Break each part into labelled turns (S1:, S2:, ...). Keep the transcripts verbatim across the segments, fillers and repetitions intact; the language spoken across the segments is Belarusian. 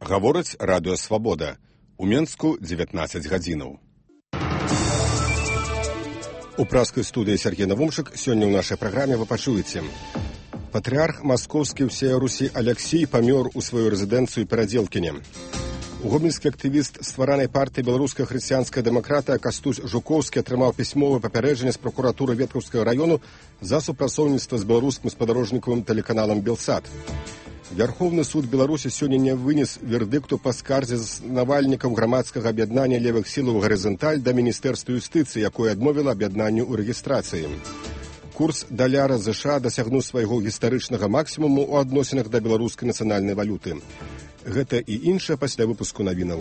S1: Гаворыць радыё «Свабода». У Менску дзевятнаццаць гадзінаў. У праскай студыі Сергей Навумшык. Сёння ў нашай праграме вы пачуеце. Патрыарх маскоўскі ўсея Русі Аляксій памёр у сваю рэзідэнцыю Перадзелкіне. Гомельскі актывіст стваранай партыі беларуская хрысціянская дэмакратыя Кастусь Жукоўскі атрымаў пісьмовае папярэджанне з пракуратуры Веткаўскага раёну за супрацоўніцтва з беларускім спадарожнікавым тэлеканалам «Белсат». Вярхоўны суд Беларусі сёння не вынес вердыкту па скардзе заснавальнікаў грамадскага аб'яднання левых сілаў «Гарызанталь» да Міністэрства юстыцыі, якое адмовіла аб'яднанню ў рэгістрацыі. Курс даляра ЗША дасягнуў свайго гістарычнага максімуму ў адносінах да беларускай нацыянальнай валюты. Гэта і іншае пасля выпуску навінаў.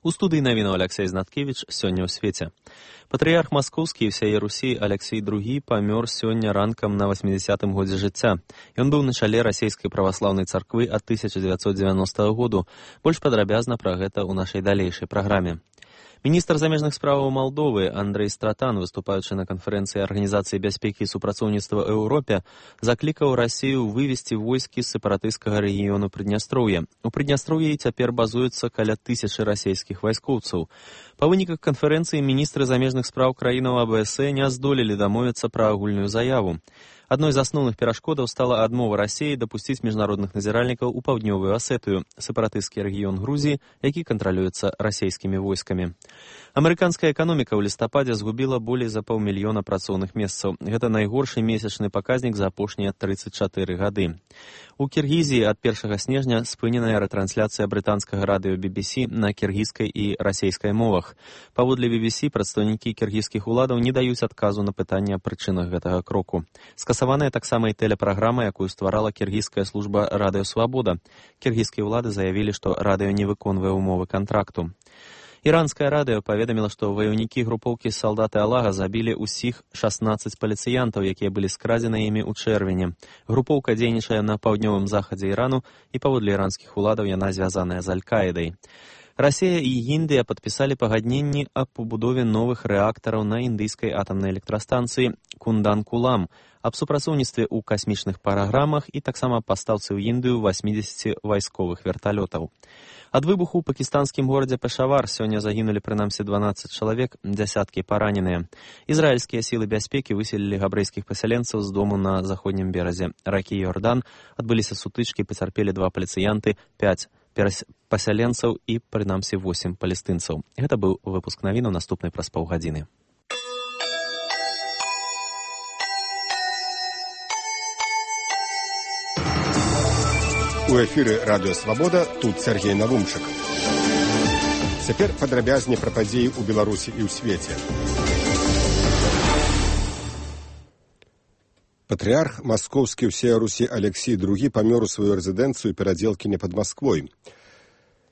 S2: У студыі навінаў Аляксей Знаткевіч. Сёння ў свеце. Патрыярх маскоўскі і ўсяе Русі Аляксій другі памёр сёння ранкам на васьмідзясятым годзе жыцця. Ён быў на чале расійскай праваслаўнай царквы ад тысяча дзевяцьсот дзевяностага году. Больш падрабязна пра гэта ў нашай далейшай праграме. Міністр замежных справаў Малдовы Андрэй Стратан, выступаючы на канферэнцыі Арганізацыі бяспекі і супрацоўніцтва Еўропе, заклікаў Расію вывесці войскі з сепаратысцкага рэгіёну Прыднястроўя. У Прыднястроўі цяпер базуецца каля тысячы расійскіх вайскоўцаў. Па выніках канферэнцыі міністры замежных спраў краінаў А Бэ Эс Э не здолелі дамовіцца пра агульную заяву. Адной з асноўных перашкодаў стала адмова Расіі дапусціць міжнародных назіральнікаў у паўднёвую Асетыю, сепаратысцкі рэгіён Грузіі, які кантралюецца расійскімі войскамі. Амерыканская эканоміка ў лістападзе згубіла болей за паўмільёна працоўных месцаў. Гэта найгоршы месячны паказнік за апошнія трыццаць чатыры гады. У Кіргізіі ад першага снежня спыненая рэтрансляцыя брытанскага радыё Би Би Си на кіргізскай і расейскай мовах. Паводле Би Би Си, прадстаўнікі кіргізскіх уладаў не даюць адказу на пытанне аб прычынах гэтага кроку. Скасаваная таксама і тэлепраграма, якую стварала кіргізская служба «Радыё Свабода». Кіргізскія ўлады заявілі, што радыё не выконвае ўмовы кантракту. Іранскае радыё паведаміла, што ваяўнікі групоўкі «Салдаты Аллаха» забілі ўсіх шаснаццаць паліцыянтаў, якія былі скрадзены імі ў чэрвені. Групоўка дзейнічае на паўднёвым захадзе Ірану, і паводле іранскіх уладаў яна звязаная з Аль-Каідай. Расія і Індыя падпісалі пагадненні аб пабудове новых рэактараў на індыйскай атамнай электрастанцыі Кундан-Кулам, аб супрацоўніцтве ў касмічных праграмах і таксама пастаўцы ў Індыю васьмідзесяці вайсковых верталётаў. Ад выбуху ў пакістанскім горадзе Пешавар сёння загінулі прынамсі дванаццаць чалавек, дзясяткі параненыя. Ізраільскія сілы бяспекі выселілі габрэйскіх пасяленцаў з дому на заходнім беразе ракі Йордан. Адбыліся сутычкі, пацярпелі два паліцыянты, пяць пасяленцаў і прынамсі восем палестынцаў. Гэта быў выпуск навінаў, наступны праз паўгадзіны.
S1: У эфіры радыё «Свабода», тут Сергей Навумшык. Цяпер падрабязней пра падзеі ў Беларусі і ў свеце. Патрыарх маскоўскі ўсея Русі Аляксій другі памёр у сваю рэзідэнцыю Перадзелкіне пад Масквой.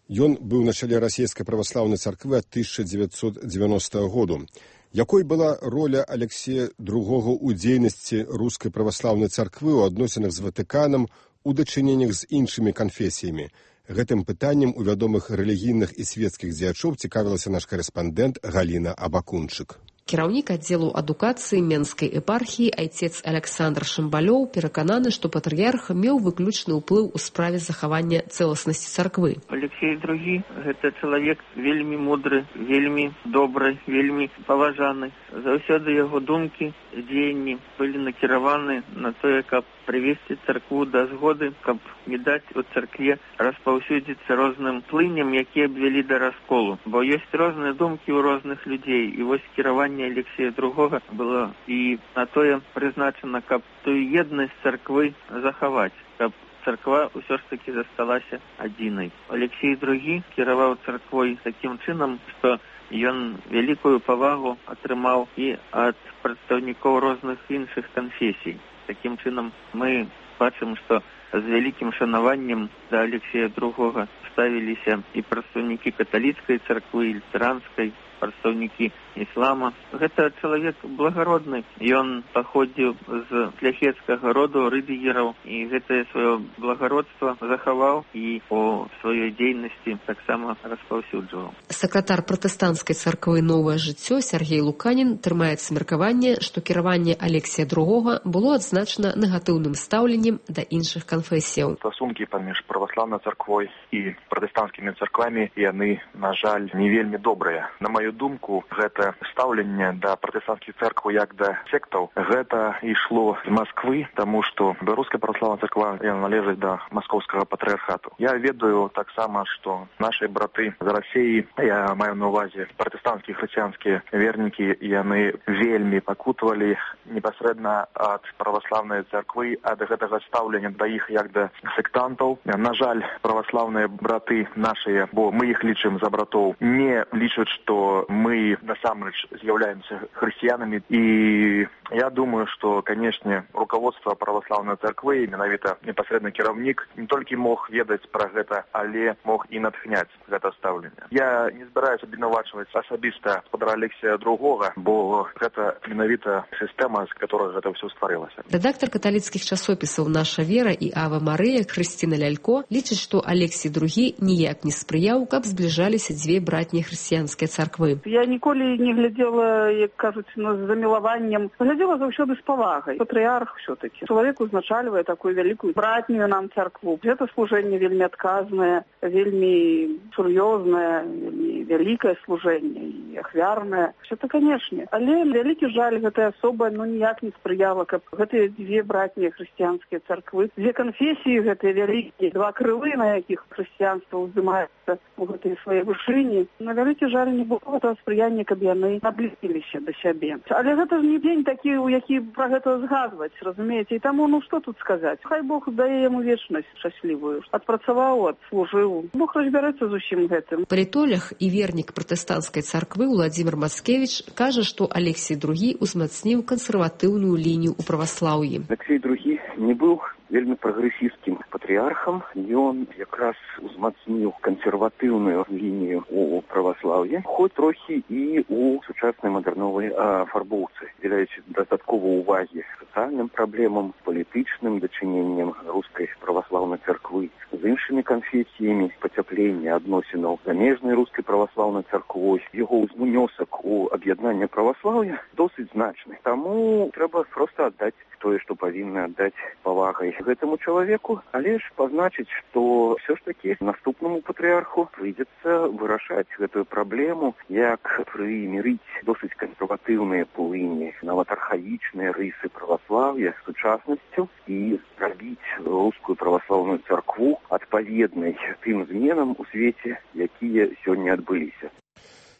S1: Ён быў на чале расійскай праваслаўнай царквы ад тысяча дзевяцьсот дзевяностага году. Якой была роля Аляксія другога ў дзейнасці рускай праваслаўнай царквы ў адносінах з Ватыканам, у дачыненнях з іншымі канфесіямі? Гэтым пытаннем у вядомых рэлігійных і свецкіх дзеячоў цікавілася наш карэспандэнт Галіна Абакунчык.
S3: Кіраўнік аддзелу адукацыі Менскай епархіі айцец Аляксандр Шымбалёў перакананы, што патрыярх меў выключны ўплыў у справе захавання цэласнасці царквы.
S4: Аляксій другі – гэта чалавек вельмі мудры, вельмі добры, вельмі паважаны. Заўсёды яго думкі, дзеянні былі накіраваны на тое, каб прывесці царкву да згоды, каб не даць у царкве распаўсюдзіцца розным плыням, якія абвялі да расколу. Бо ёсць розныя думкі ў розных людзей, і вось кіраванне Аляксія другога было і на тое прызначана, каб тую еднасць царквы захаваць, каб царква ўсё ж такі засталася адзінай. Аляксій другі кіраваў царквой такім чынам, што ён вялікую павагу атрымаў і ад прадстаўнікоў розных іншых канфесій. Такім чынам мы бачым, што з вялікім шанаваннем да Аляксія другога ставіліся і прадстаўнікі каталіцкай царквы, і лютэранскай, прадстаўнікі іслама. Гэта чалавек благародны. Ён паходзіў з шляхецкага роду рыдыгераў, і гэтае сваё благародства захаваў і у сваёй дзейнасці таксама распаўсюджваў.
S3: Сакратар пратэстанцкай царквы «Новае жыццё» Сергей Луканін трымаецца меркаванне, што кіраванне Алексія другога было адзначана негатыўным стаўленнем да іншых канфесіяў.
S5: Стасункі паміж праваслаўнай царквой і пратэстанцкімі царквамі яны, на жаль, не вельмі добрыя. На маю думку, гэта стаўленне да пратэстанцкіх церкваў як да сектаў, гэта ішло з Масквы, таму што беларуская праваслаўная царква належыць да маскоўскага патрыархату. Я ведаю таксама, што нашыя браты з Расіі, я маю на увазе пратэстанцкія хрысціянскія вернікі, яны вельмі пакутавалі непасрэдна ад праваслаўнай царквы, ад гэтага стаўлення да іх як да сектантаў. На жаль, праваслаўныя браты нашыя, бо мы іх лічым за братоў, не лічаць, што мы насамрэч з'яўляемся хрысціянамі. І я думаю, што, канешне, руководство праваслаўнай царквы, менавіта непасрэдны кіраўнік, не толькі мог ведаць пра гэта, але мог і натхняць гэта стаўленне. Я не збіраюся абвінавачваць асабіста гаспадара Алексія другога, бо гэта менавіта сістэма, з которой гэта ўсё стварылася.
S3: Рэдактар каталіцкіх часопісаў «Наша вера» і «Ава Марыя» Хрысціна Лялько лічыць, што Алексій другі ніяк не спрыяў, каб збліжаліся дзве братнія хрысціянскія царквы.
S6: Я ніколі не глядзела, як кажуць, з замілаваннем. Глядзела заўсёды з павагай. Патрыарх ўсё-такі. Чалавек узначальвае такую вялікую братнюю нам царкву. Гэта служэнне вельмі адказнае, вельмі сур'ёзнае, вельмі вялікае служэнне і ахвярнае. Гэта, канешне. Але вялікі жаль, гэтая асоба ну ніяк не спрыяла, каб гэтыя дзве братнія хрысціянскія царквы, дзве канфесіі гэтыя вялікія, два крылы, на якіх хрысціянства ўздымаецца у гэтай сваёй вышыні. На вялікі жаль не было гэтага спрыяння, каб яны наблізіліся да сябе. Але гэта ж не дзень такі, у які пра гэта згадваць, разумееце? І таму, ну што тут сказаць? Хай Бог дае яму вечнасць шчаслівую. Адпрацаваў, адслужыў. Бог разбярэцца з усім гэтым.
S3: Палітолог і вернік пратэстанцкай царквы Уладзімір Мацкевіч кажа, што Алексій другі узмацніў кансерватыўную лінію ў праваслаўі.
S7: Алексій другі не быў вельмі прагрэсістскім патрыархам. Ён якраз узмацніў кансерватыўную лінію у праваслаўі, хоць трохі і у сучаснай мадэрновай афарбоўцы, дзеляючы дастаткова ўвагі сацыяльным праблемам, палітычным дачыненнем рускай праваслаўнай царквы з іншымі канфесіямі, пацяпленне адносінаў замежнай рускай праваслаўнай царквой. Яго ўнёсак у аб'яднанне праваслаўя досыць значны. Таму трэба проста аддаць тое, што павінны аддаць павагай гэтаму чалавеку, але ж пазначыць, што ўсё ж такі наступнаму патрыарху прыйдзецца вырашаць гэтую праблему, як прымірыць досыць кансерватыўныя плыні, нават архаічныя рысы праваслаўя з сучаснасцю і зрабіць рускую праваслаўную царкву адпаведнай тым зменам у свеце, якія сёння адбыліся.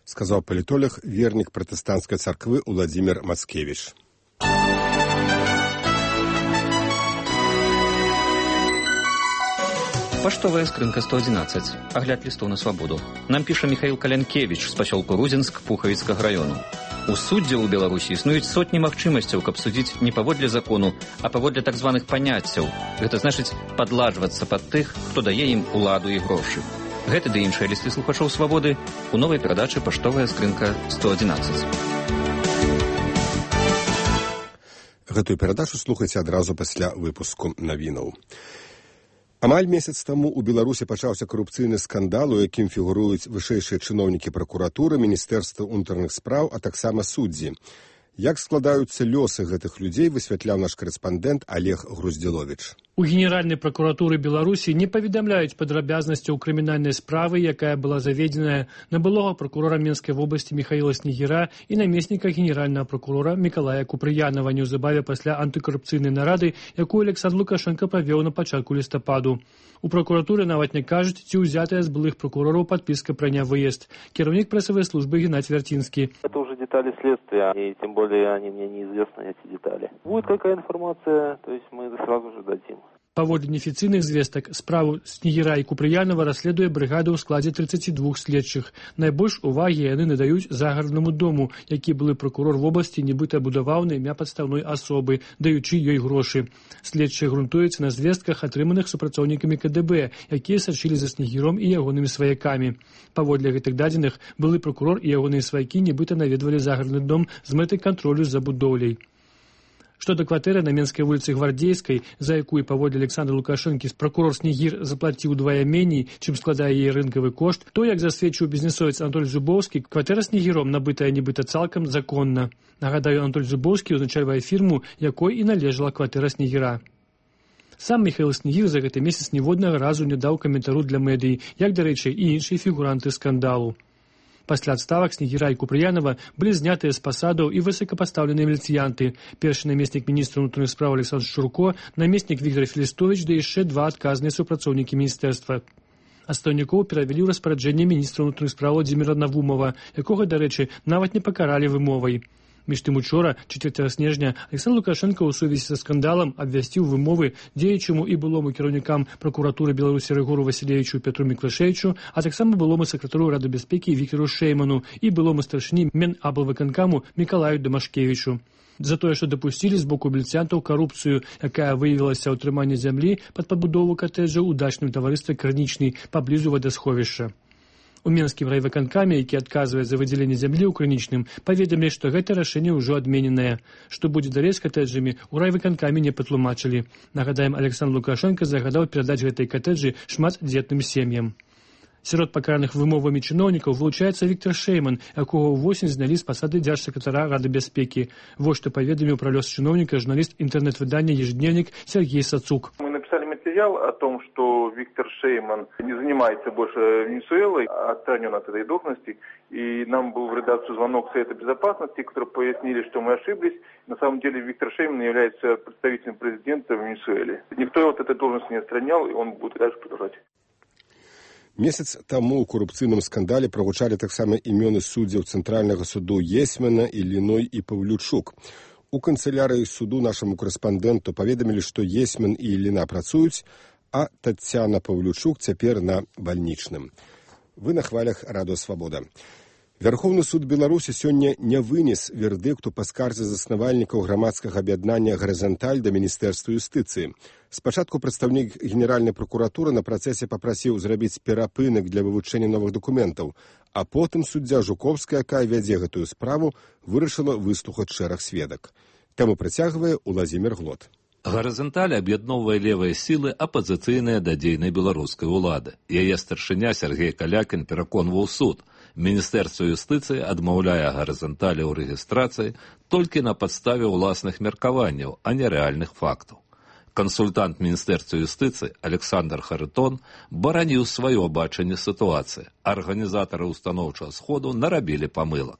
S1: Сказаў палітолог, вернік пратэстанцкай царквы Уладзімір Мацкевіч.
S8: Паштовая скрынка сто одиннадцать. Агляд лістоў на свабоду. Нам піша Михаил Калянкевич з пасёлку Рудзінск Пухавіцкага раёну. У суддзе ў Беларусі існуюць сотні магчымасцяў, каб судзіць не паводле закону, а паводле так званых паняццяў. Гэта значыць падладжвацца пад тых, хто дае ім уладу і грошы. Гэты ды іншыя лісты слухачоў свабоды у новай перадачы «Паштовая скрынка сто одиннадцать».
S1: Гэтую перадачу слухайце адразу пасля выпуску навінаў. Амаль месяц таму ў Беларусі пачаўся карупцыйны скандал, у якім фігуруюць вышэйшыя чыноўнікі пракуратуры, міністэрства ўнутраных спраў, а таксама суддзі. Як складаюцца лёсы гэтых людзей, высвятляў наш корэспандэнт Олег Груздзіловіч.
S9: У Генеральнай пракуратуры Беларусі не паведамляюць падрабязнасцяў крымінальнай справы, якая была заведзеная на былога пракурора Менскай вобласці Михаила Снегіра і намесніка генеральнага пракурора Мікалая Купрыянава неўзабаве пасля антыкарупцыйнай нарады, якую Александр Лукашенко правёў на пачатку лістападу. У пракуратуры нават не кажуць, ці ўзятая з былых пракурораў падпіска пра нявыезд. Кіраўнік прэсавай службы Геннадзь Вярцінскі.
S10: Это уже детали следствия, и тем более они мне неизвестны, эти детали. Будет какая информация, то есть мы сразу же дадим.
S9: Паводле неафіцыйных звестак, справу Снегіра і Купрыянова расследуе брыгада ў складзе трыццаці двух следчых. Найбольш увагі яны надаюць загараднаму дому, які былы прокурор вобласці нібыта будаваў на імя падстаўной асобы, даючы ёй грошы. Следчыя грунтуюцца на звестках, атрыманых супрацоўнікамі ка дэ бэ, якія сачылі за Снегіром і ягонымі сваякамі. Паводле гэтых дадзеных, былы прокурор і ягоныя сваякі нібыта наведвалі загарадны дом з мэтай кантролю за будоўляй. Што да кватэры на Менскай вуліцы Гвардзейскай, за якую паводле Александра Лукашэнкі прокурор Снегір заплаціў удвая меней, чым складае яе рынкавы кошт, то, як засведчыў бізнесовец Анатоль Зубоўскі, кватэра Снегіром набытая нібыта цалкам законна. Нагадаю, Анатоль Зубоўскі ўзначальвае фірму, якой і належала кватэра Снегіра. Сам Міхаіл Снегір за гэты месяц ніводнага разу не даў каментару для медыі, як, дарэчы, і іншыя фігуранты скандалу. Пасля адставак Снегіра і Купрыянова былі знятыя з пасадаў і высокапастаўленыя міліцыянты. Першы намеснік міністра ўнутраных спраў Александр Шурко, намеснік Віктор Філістовіч, да яшчэ два адказныя супрацоўнікі міністэрства. Астаўнікоў перавялі ў распараджэнне міністра ўнутраных спраў Владзіміра Навумова, якога, дарэчы, нават не пакаралі вымовай. Між тым учора, чацвёртага снежня, Александр Лукашенко ў сувязі са скандалам абвясціў вымовы дзеючаму і былому кіраўнікам пракуратуры Беларусі Рыгору Васілевічу Петру Міклашевічу, а таксама былому сакратару Рады бяспекі Віктору Шэйману і былому старшыні Менаблвыканкаму Мікалаю Дамашкевічу. За тое, што дапусцілі з боку міліцыянтаў карупцыю, якая выявілася ў трыманні зямлі пад пабудову катэджа ў дачным таварыстве «Крынічны» паблізу вадасховішча. У Менскім райвыканкаме, які адказвае за выдзяленне зямлі ў Крынічным, паведамілі, што гэта рашэнне ўжо адмененае. Што будзе далей з катэджамі, у райвыканкаме не патлумачылі. Нагадаем, Александр Лукашенко загадаў перадаць гэтай катэджы шматдзетным сем'ям. Сярод пакараных вымовамі чыноўнікаў вылучаецца Віктор Шэйман, якога ўвосень знялі з пасады дзяржсакратара Рады бяспекі. Вось што паведаміў пра лёс чыноўніка журналіст інтэрнэт-выдання «Ежедневник» Сергей Сацук.
S10: Мы написали материал о том, что Виктор Шейман не занимается больше Венесуэлой, отстранен от этой должности. И нам был в редакцию звонок Совета Безопасности, которые пояснили, что мы ошиблись. На самом деле Виктор Шейман является представителем президента в Венесуэле. Никто его от этой должности не отстранял, и он будет дальше продолжать.
S1: Месяц таму ў карупцыйным скандале прагучалі таксама імёны суддзяў Цэнтральнага суду Есьмана, Іліной і Паўлючук. У канцылярыі суду нашаму корэспандэнту паведамілі, што Есьман і Іліна працуюць, а Таццяна Паўлючук цяпер на бальнічным. Вы на хвалях Радыё Свабода. Вярхоўны суд Беларусі сёння не вынес вердыкту па скарзе заснавальнікаў грамадскага аб'яднання «Гарызанталь» да Міністэрства юстыцыі. Спачатку прадстаўнік Генеральнай пракуратуры на працэсе папрасіў зрабіць перапынак для вывучэння новых дакументаў, а потым суддзя Жуковская, якая вядзе гэтую справу, вырашыла выслухаць шэраг сведак. Таму працягвае Уладзімір Глот.
S11: «Гарызанталь» аб'ядноўвае левыя сілы апазіцыйныя да дзейнай беларускай улады. Яе старшыня Сергей Калякін пераконваў суд. Міністэрства юстыцыі адмаўляе «Гарызанталі» ў рэгістрацыі толькі на падставе ўласных меркаванняў, а не рэальных фактаў. Кансультант Міністэрства юстыцыі Александр Харытон бараніў сваё бачанне сітуацыі. Арганізатары устаноўчага сходу нарабілі памылак.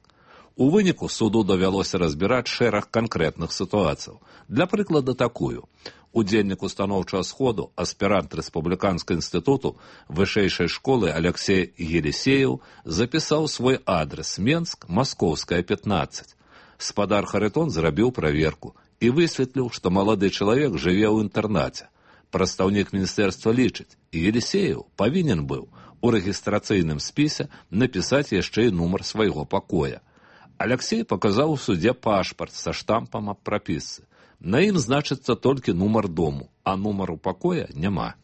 S11: У выніку суду давялося разбіраць шэраг канкрэтных сітуацыяў. Для прыклада такую. Удзельнік устаноўчага сходу, аспірант Рэспубліканскага інстытуту вышэйшай школы Алексей Елисеев запісаў свой адрес Менск, Маскоўская, пятнадцать. Спадар Харытон зрабіў праверку і высветліў, што малады чалавек жыве ў інтэрнаце. Прадстаўнік міністэрства лічыць, Елисеев павінен быў у рэгістрацыйным спісе напісаць яшчэ і нумар свайго пакоя. Алексей паказаў у судзе пашпарт са штампам аб прапісцы. На ім значыцца толькі нумар дому, а нумару пакоя няма.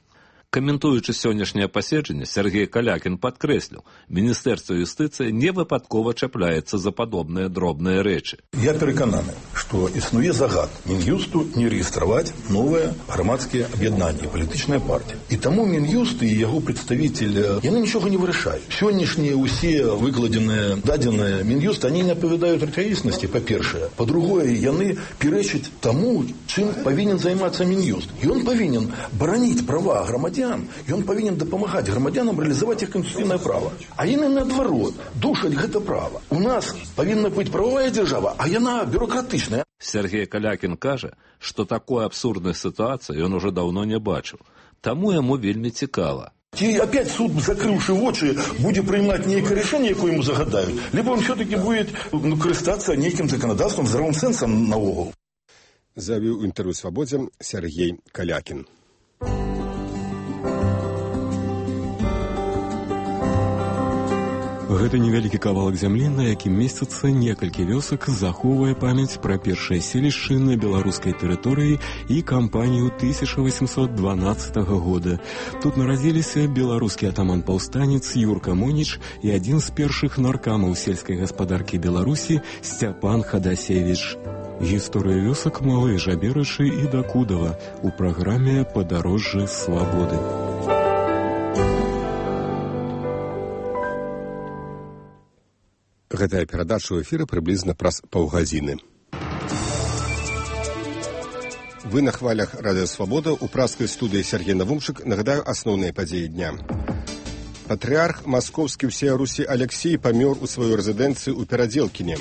S11: Каментуючы сённяшняе паседжанне, Сергей Калякін падкрэсліў, Міністэрства юстыцыі не выпадкова чапляецца за падобныя дробныя рэчы.
S12: Я перакананы, што існуе загад Мін'юсту не рэгістраваць новыя грамадскія аб'яднанні, палітычныя партыі. І таму Мін'юст і яго прадставіцель, яны нічога не вырашаюць. Сённяшнія ўсе выкладзеныя дадзеныя Мін'юст, они не адпавядаюць рэчаіснасці, па-першае. Па-другое, яны пярэчаць таму, чым павінен займацца Мін'юст. Ён павінен бараніць права грамадзян, и он повинен допомагать громадянам реализовать их конституционное право. А яны наоборот, душать гэта право. У нас повинна быть правовая держава, а яна бюрократичная.
S11: Сергей Калякін кажа, што такой абсурднай сітуацыі ён уже давно не бачыў. Таму яму вельмі цікава.
S12: И опять суд, закрывший очи, будет принимать некое решение, якое ему загадают, либо он все-таки будет ну, користаться неким законодательством, здравым сенсом наогул.
S1: Завіў інтэрв'ю «Свабодзе» Сергей Калякін.
S13: Гэта невялікі кавалак зямлі, на якім месцяцца некалькі вёсак, захоўвае памяць пра першыя селішчы на беларускай тэрыторыі і кампанію тысяча восемьсот дванадцатага года. Тут нарадзіліся беларускі атаман-паўстанец Юрка Моніч і адзін з першых наркамаў сельскай гаспадаркі Беларусі Сцяпан Хадасевіч. Гісторыя вёсак Малай Жаберачы і Дакудава у праграме «Падарожжы свабоды».
S1: Гэтая перадача ў эфіры прыблізна праз паўгадзіны. Вы на хвалях Радыё Свабода, у праскай студыі Сергей Навумчык. Нагадаю асноўныя падзеі дня. Патрыарх маскоўскі ўсея Русі Алексей памёр у сваёй рэзідэнцыі ў Перадзелкіне.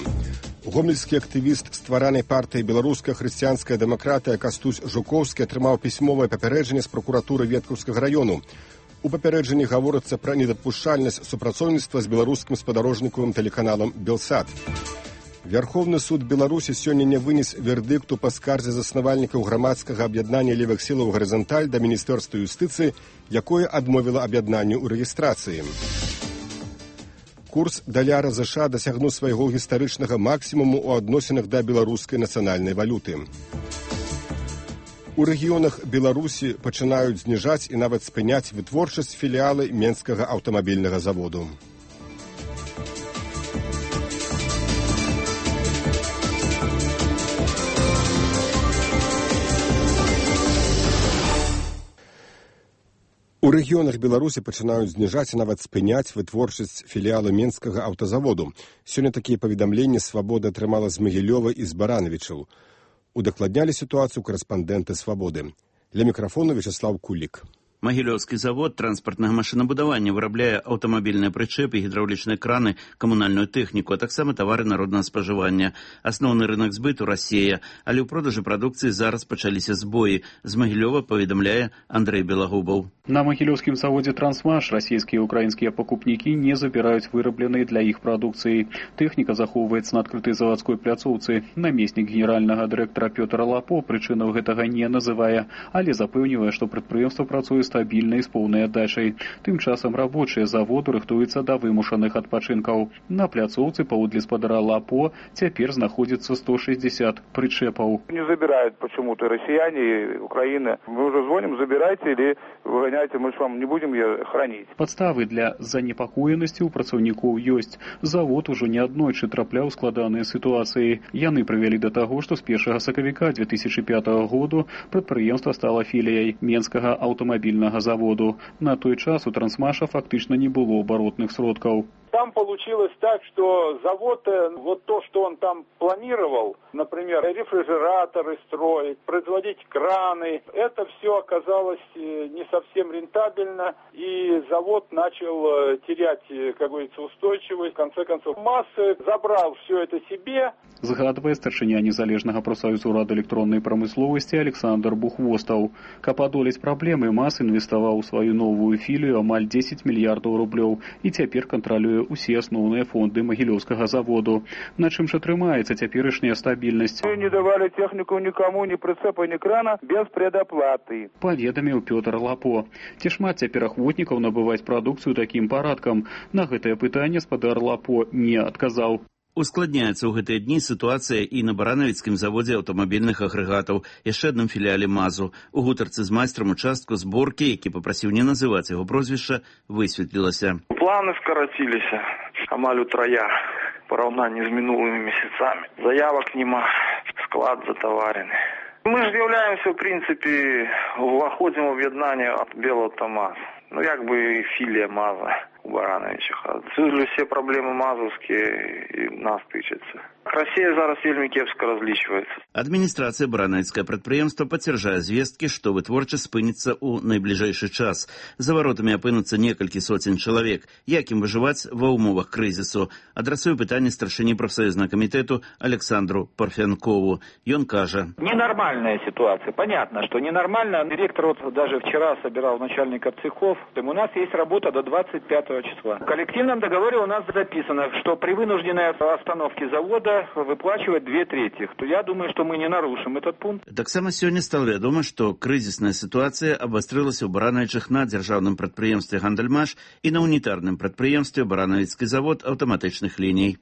S1: Гомельскі актывіст стваранай партыі «Беларуская хрысціянская дэмакратыя» Кастусь Жукоўскі атрымаў пісьмовае папярэджанне з пракуратуры Веткаўскага раёну. У папярэджанні гаворыцца пра недапушчальнасць супрацоўніцтва з беларускім спадарожнікавым тэлеканалам «Белсат». Вярхоўны суд Беларусі сёння не вынес вердыкту па скардзе заснавальнікаў грамадскага аб'яднання левых сілаў «Гарызанталь» да Міністэрства юстыцыі, якое адмовіла аб'яднанню ў рэгістрацыі. Курс даляра ЗША дасягнуў свайго гістарычнага максімуму ў адносінах да беларускай нацыянальнай валюты. У рэгіёнах Беларусі пачынаюць зніжаць і нават спыняць вытворчасць філіалы Менскага аўтамабільнага заводу. У рэгіёнах Беларусі пачынаюць зніжаць і нават спыняць вытворчасць філіалы Менскага аўтазаводу. Сёння такія паведамленні «Свабода» атрымала з Магілёва і з Баранавічаў. Удакладнялі сітуацыю корэспандэнты «Свабоды». Для мікрафону Вячеслав Кулік.
S14: Магілёўскі завод транспартнага машынабудавання вырабляе аўтамабільныя прычэпы, гідраўлічныя краны, камунальную тэхніку, а таксама тавары народнага спажывання. Асноўны рынок збыту Расія, але ў продажы прадукцыі зараз пачаліся збоі. З Магілёва паведамляе Андрэй Белагубаў.
S15: На магілёўскім заводзе «Трансмаш» расійскія і украінскія пакупнікі не забіраюць вырабленыя для іх прадукцыі. Тэхніка захоўваецца на адкрытай завадской пляцоўцы. Намеснік генеральнага дырэктара Пётр Лапо прычынаў гэтага не называе, але запэўнівае, што прадпрыемства працуе стабільна і з поўнай аддачай. Тым часам рабочыя заводу рыхтуюцца да вымушаных адпачынкаў. На пляцоўцы, паводле спадара Лапо, цяпер знаходзіцца сто шестьдесят прычэпаў.
S10: Не забирают почему-то россияне, Украина. Мы уже звоним, забирайте или выгоняйте, мы ж вам не будем ее хранить.
S15: Падставы для занепакоенасці ў працаўнікоў ёсць. Завод ужо неаднойчы трапляў складаныя сітуацыі. Яны прывялі да таго, што з першага сакавіка две тысячи пятого году прадпрыемства стала філіяй Менскага аўтамабільнага заводу. На той час у «Трансмаша» фактично не было оборотных сродков.
S16: Там получилось так, что завод, вот то, что он там планировал, например, рефрижераторы строить, производить краны, это все оказалось не совсем рентабельно, и завод начал терять, как говорится, устойчивость. В конце концов, МАЗ забрал все это себе.
S15: Згадвае старшыня незалежнага прафсаюзу радыёэлектроннай прамысловасці Александр Бухвостаў. Каб адолець праблемы, МАЗ інвеставаў у сваю новую філію амаль дзесяць мільярдаў рублёў і цяпер кантралюе ўсе асноўныя фонды магілёўскага заводу. На чым жа трымаецца цяперашняя стабільнасць?
S10: Мы не давали технику никому, ни прицепа, ни крана без предоплаты.
S15: Паведаміў Пётр Лапо. Ці шмат цяпер ахвотнікаў набываць прадукцыю такім парадкам? На гэтае пытанне спадар Лапо не адказаў.
S14: Ускладняецца ў гэтыя дні сітуацыя і на баранавіцкім заводзе аўтамабільных агрэгатаў, яшчэ адным філіяле МАЗу. У гутарцы з майстрам участку зборкі, які папрасіў не называць яго прозвішча, высветлілася.
S17: Планы скараціліся амаль утрая в параўнанні з мінулымі месяцамі. Заявак нема, склад затаварены. Мы ж з'яўляемся, в прынцыпе, уваходзім у аб'яднанне ад Белаўтамаз. Ну, як бы філія МАЗа у Барановичах. Отсюда все проблемы мазовские и нас тычатся. Россия зараз вельмі кепска разлічваецца.
S14: Адміністрацыя баранавіцкае прадпрыемства пацвярджае звесткі, што вытворчасць спыніцца ў найбліжэйшы час. За варотамі апынуцца некалькі соцень чалавек. Як ім выжываць ва ўмовах крызісу? Адрасую пытанне старшыні прафсаюзнага камітэту Александру Парфянкову. Ён кажа:
S18: ненормальная ситуация. Понятно, что ненормально. Директор вот даже вчера собирал начальников цехов. У нас есть работа до двадцать пятого числа. В коллективном договоре у нас записано, что при вынужденной остановке завода года выплачивать две трети. То я думаю, что мы не нарушим этот пункт.
S14: Таксама сёння стала вядома, што крызісная сітуацыя абастрылася ў баранавічах на дзяржаўным прадпрыемстве «Гандальмаш» і на унітарным прадпрыемстве «Баранавіцкі завод аўтаматычных ліній».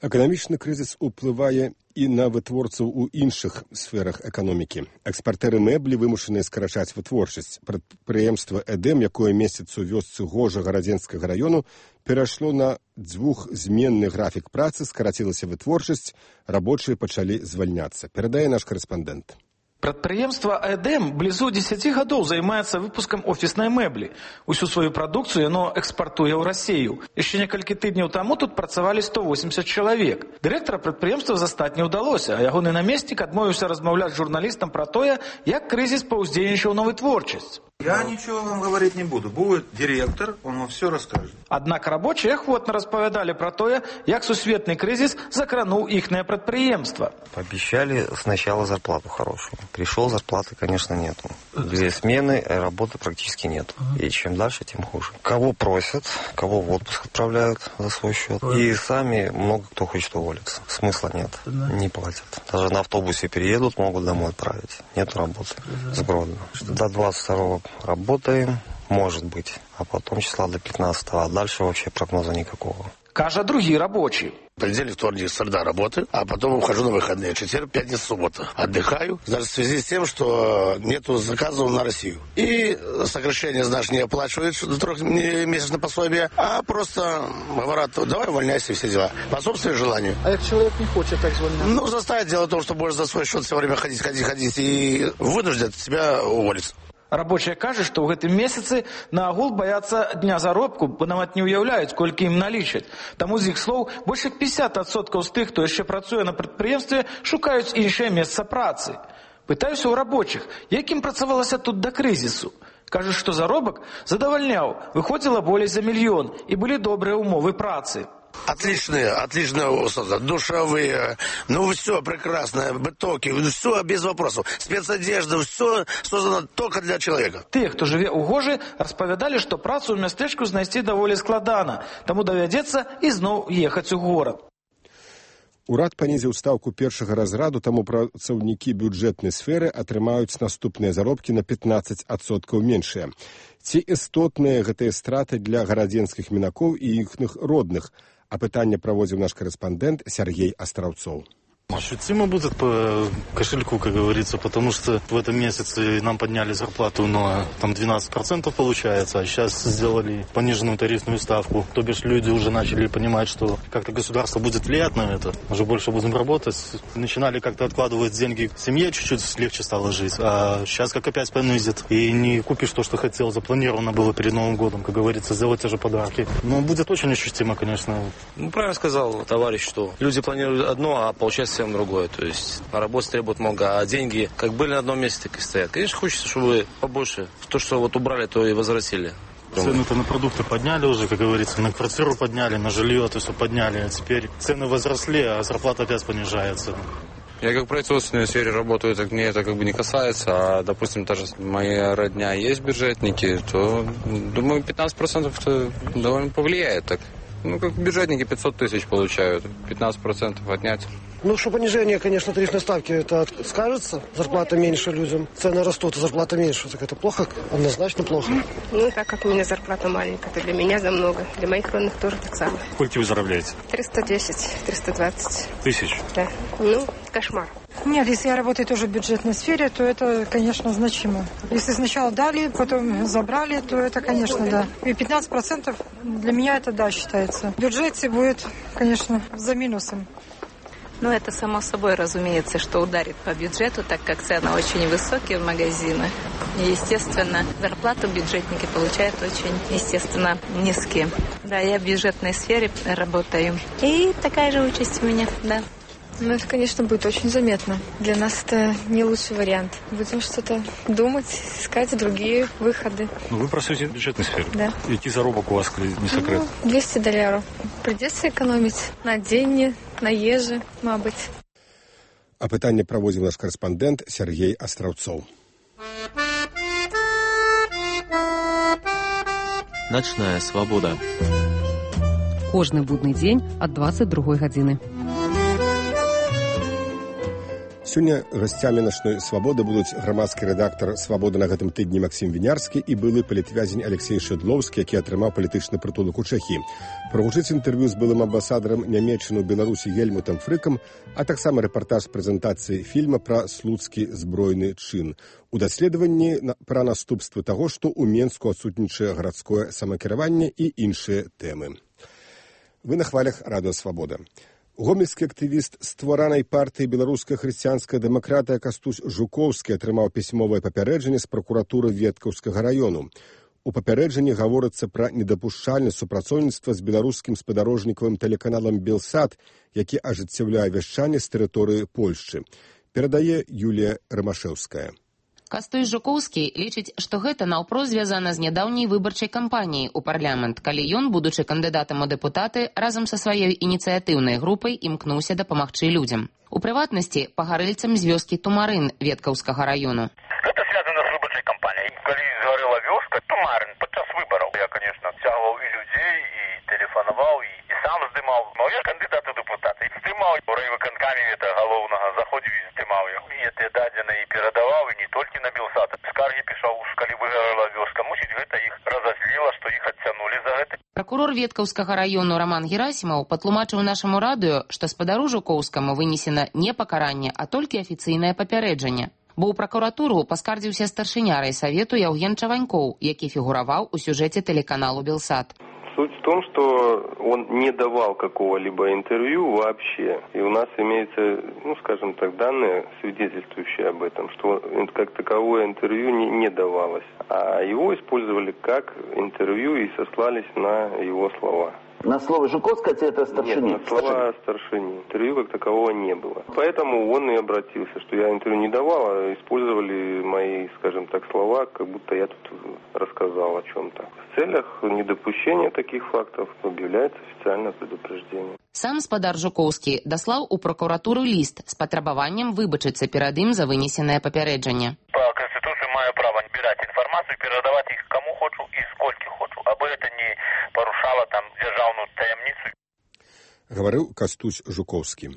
S1: Эканамічны крызіс уплывае і на вытворцаў у іншых сферах эканомікі. Экспартэры мэблі вымушаныя скарачаць вытворчасць. Прадпрыемства «Эдэм», якое месяц у вёсцы Гожага Радзенскага раёну, перайшло на двухзменны графік працы, скарацілася вытворчасць, рабочыя пачалі звальняцца. Перадае наш корэспандэнт.
S19: Прадпрыемства «Эдэм» блізу дзесяці гадоў займаецца выпускам офіснай мэблі. Усю сваю прадукцыю яно экспартуе ў Расію. Яшчэ некалькі тыдняў таму тут працавалі сто восемьдесят чалавек. Дырэктара прадпрыемства застаць не ўдалося, а ягоны намеснік адмовіўся размаўляць з журналістам пра тое, як крызіс паўздзейнічаў на вытворчасць.
S20: Я ничего вам говорить не буду. Будет директор, он вам все расскажет.
S19: Аднак рабочие охотно распавядалі пра тое, як сусветны крызіс закрануў іхнае прадпрыемства.
S21: Пообещали сначала зарплату хорошую. Пришел, зарплаты, конечно, нету. Две смены, работы практически нет. И чем дальше, тем хуже. Кого просят, кого в отпуск отправляют за свой счет. И сами много кто хочет уволиться. Смысла нет. Не платят. Даже на автобусе переедут, могут домой отправить. Нет работы. С Гродно. До двадцать второго работаем, может быть. А потом числа до пятнадцатого. А дальше вообще прогноза никакого.
S19: Кажа другі рабочий.
S22: Понедельник, вторник, среда работы, а потом ухожу на выходные. Четверг, пятница, суббота. Отдыхаю, даже в связи с тем, что нету заказов на Россию. И сокращение, знаешь, не оплачивают трехмесячное пособие, а просто говорят, давай увольняйся, все дела. По собственному желанию.
S19: А если человек не хочет так звонить?
S22: Ну, заставить дело в том, что будешь за свой счет все время ходить, ходить, ходить, и вынуждят тебя уволиться.
S19: Рабочие кажа, што ў гэтым месяцы на агул баяцца дня заробку, бо нават не ўяўляюць, колькі ім налічаць. Таму з іх слоў больш як пятьдесят адсоткаў з тых, хто яшчэ працуе на прадпрыемстве, шукаюць іншае месца працы. Пытаюся ў рабочых, як ім працавалася тут да крызісу. Кажуць, што заробак задавальняў, выходзіла болей за мільён, і былі добрыя умовы працы.
S22: Отличные, отличные условия, душевые, ну все прекрасно, бытовки, все без вопросов, спецодежда, все создано только для человека.
S19: Те, хто жыве ў Гожы, распавядалі, што працу ў мястэчку знайсці даволі складана, таму давядзецца ізноў ехаць у горад.
S1: Урад панізіў стаўку першага разраду, таму працаўнікі бюджэтнай сферы атрымаюць наступныя заробкі на пятнадцать адсоткаў меншыя. Ці істотныя гэтыя страты для гарадзенскіх мінакоў і іхных родных? А пытанне праводзіў наш корэспандэнт Сергей Астраўцоў.
S23: Ощутимо будет по кошельку, как говорится, потому что в этом месяце нам подняли зарплату на там двенадцать процентов получается, а сейчас сделали пониженную тарифную ставку. То бишь люди уже начали понимать, что как-то государство будет влиять на это. Уже больше будем работать. Начинали как-то откладывать деньги в семье, чуть-чуть легче стало жить. А сейчас как опять понизит. И не купишь то, что хотел. Запланировано было перед Новым годом, как говорится, сделать те же подарки. Но будет очень ощутимо, конечно.
S24: Ну, правильно сказал товарищ, что люди планируют одно, а получается совсем другое. То есть работы требует много, а деньги как были на одном месте, так и стоят. Конечно, хочется, чтобы побольше. То, что вот убрали, то и возвратили.
S23: Цены-то на продукты подняли уже, как говорится, на квартиру подняли, на жилье это все подняли. А теперь цены возросли, а зарплата опять понижается.
S24: Я как в производственной сфере работаю, так мне это как бы не касается. А, допустим, даже моя родня есть бюджетники, то, думаю, пятнадцать процентов это довольно повлияет так. Ну, как бюджетники пятьсот тысяч получают, пятнадцать процентов отнять.
S25: Ну, что понижение, конечно, тарифной ставки, это скажется. Зарплата меньше людям. Цены растут, а зарплата меньше. Так это плохо? Однозначно плохо.
S26: Ну, так как у меня зарплата маленькая, то для меня за много. Для моих родных тоже так самое.
S23: Сколько вы заробляете?
S26: триста десять, триста двадцать.
S23: Тысяч?
S26: Да. Ну, кошмар.
S27: Нет, если я работаю тоже в бюджетной сфере, то это, конечно, значимо. Если сначала дали, потом забрали, то это, конечно, да. И пятнадцать процентов для меня это, да, считается. В бюджете будет, конечно, за минусом.
S28: Ну, это само собой разумеется, что ударит по бюджету, так как цены очень высокие в магазинах. И, естественно, зарплату бюджетники получают очень, естественно, низкие. Да, я в бюджетной сфере работаю. И такая же участь у меня, да.
S29: Ну, это, конечно, будет очень заметно. Для нас это не лучший вариант. Будем что-то думать, искать другие выходы.
S23: Ну, вы працуете в бюджетной сфере?
S29: Да.
S23: Який заробок у вас, не секрет?
S29: Ну, двести долларов. Придется экономить на деньги, на ежи, мабуть.
S1: А пытанне праводзіў наш корэспандэнт Сергей Астраўцоў.
S2: Ночная свобода.
S3: кожны будны дзень ад дваццаць другой гадзіны.
S1: Сёння гасцямі начной свабоды будуць грамадскі рэдактар свабоды на гэтым тыдні Максім Вінярскі і былы палітвязень Алексей Шэдлоўскі, які атрымаў палітычны прытулак у Чэхіі. Прагучыць інтэрв'ю з былым амбасадарам Нямецчыны ў Беларусі Гельмутам Фрыкам, а таксама рэпартаж прэзентацыі фільма пра слуцкі збройны чын. У даследаванні пра наступствы таго, што ў Менску адсутнічае гарадское самакіраванне і іншыя тэмы. Вы на хвалях Радыё Свабода. Гомельскі актывіст стваранай партыі беларуская хрысціянская дэмакратыя Кастусь Жукоўскі атрымаў пісьмовае папярэджанне з пракуратуры Веткаўскага раёну. У папярэджанні гаворыцца пра недапушчальнасць супрацоўніцтва з беларускім спадарожнікавым тэлеканалам «Белсат», які ажыццяўляе вяшчанне з тэрыторыі Польшчы. Перадае Юлія Рымашэўская.
S4: Кастусь Жукоўскі лічыць, што гэта наўпрост звязана з нядаўняй выбарчай кампаніяй у парламент, калі ён, будучы кандыдатам у дэпутаты, разам са сваёй ініцыятыўнай групай імкнуўся дапамагчы людзям. У прыватнасці, пагарэльцам з вёскі Тумарын Веткаўскага раёну.
S5: Гэта звязана з выбарчай кампаніяй. Калі згарэла вёска Тумарын падчас выбараў, я, конечно, цягваў і людзей, і тэлефанаваў, і, і сам здымаў. Но я кандыдат у дэпутаты. Здымаў у райвыканкаме гэта галоўнага, заходзіў і здымаў яго. І гэтыя дадзеныя і перадаваў, і не толькі на Белсат. Скаргі пішаў, калі выгарала вёска. Мусіць, гэта іх разазліла, што іх адцянулі за гэта.
S4: Пракурор Веткаўскага раёну Роман Герасімаў патлумачыў нашаму радыё, што спадару Жукоўскаму вынесена не пакаранне, а толькі афіцыйнае папярэджанне. Бо ў пракуратуру паскардзіўся старшыня райсавету Яўген Чаванькоў, які фігураваў у сюжэце телеканалу «Белсат».
S6: Суть в том, что он не давал какого-либо интервью вообще. И у нас имеется, ну, скажем так, данные, свидетельствующие об этом, что как таковое интервью не, не давалось. А его использовали как интервью и сослались на его слова.
S14: На слово Жуковского это старшини?
S6: Нет, на слова старшини. Интервью как такового не было. Поэтому он и обратился, что я интервью не давал, а использовали мои, скажем так, слова, как будто я тут рассказал о чем-то. В целях недопущения таких фактов объявляется официальное предупреждение.
S4: Сам спадар Жуковскі даслаў у прокуратуру ліст з патрабаваннем выбачыцца перад ім за вынесенае папярэджанне.
S5: По Конституции маю право набирать информацию, передавать их кому хочу и сколько хочу, абы это не порушало там державную таямницу.
S1: Говорил Кастусь Жукоўскі.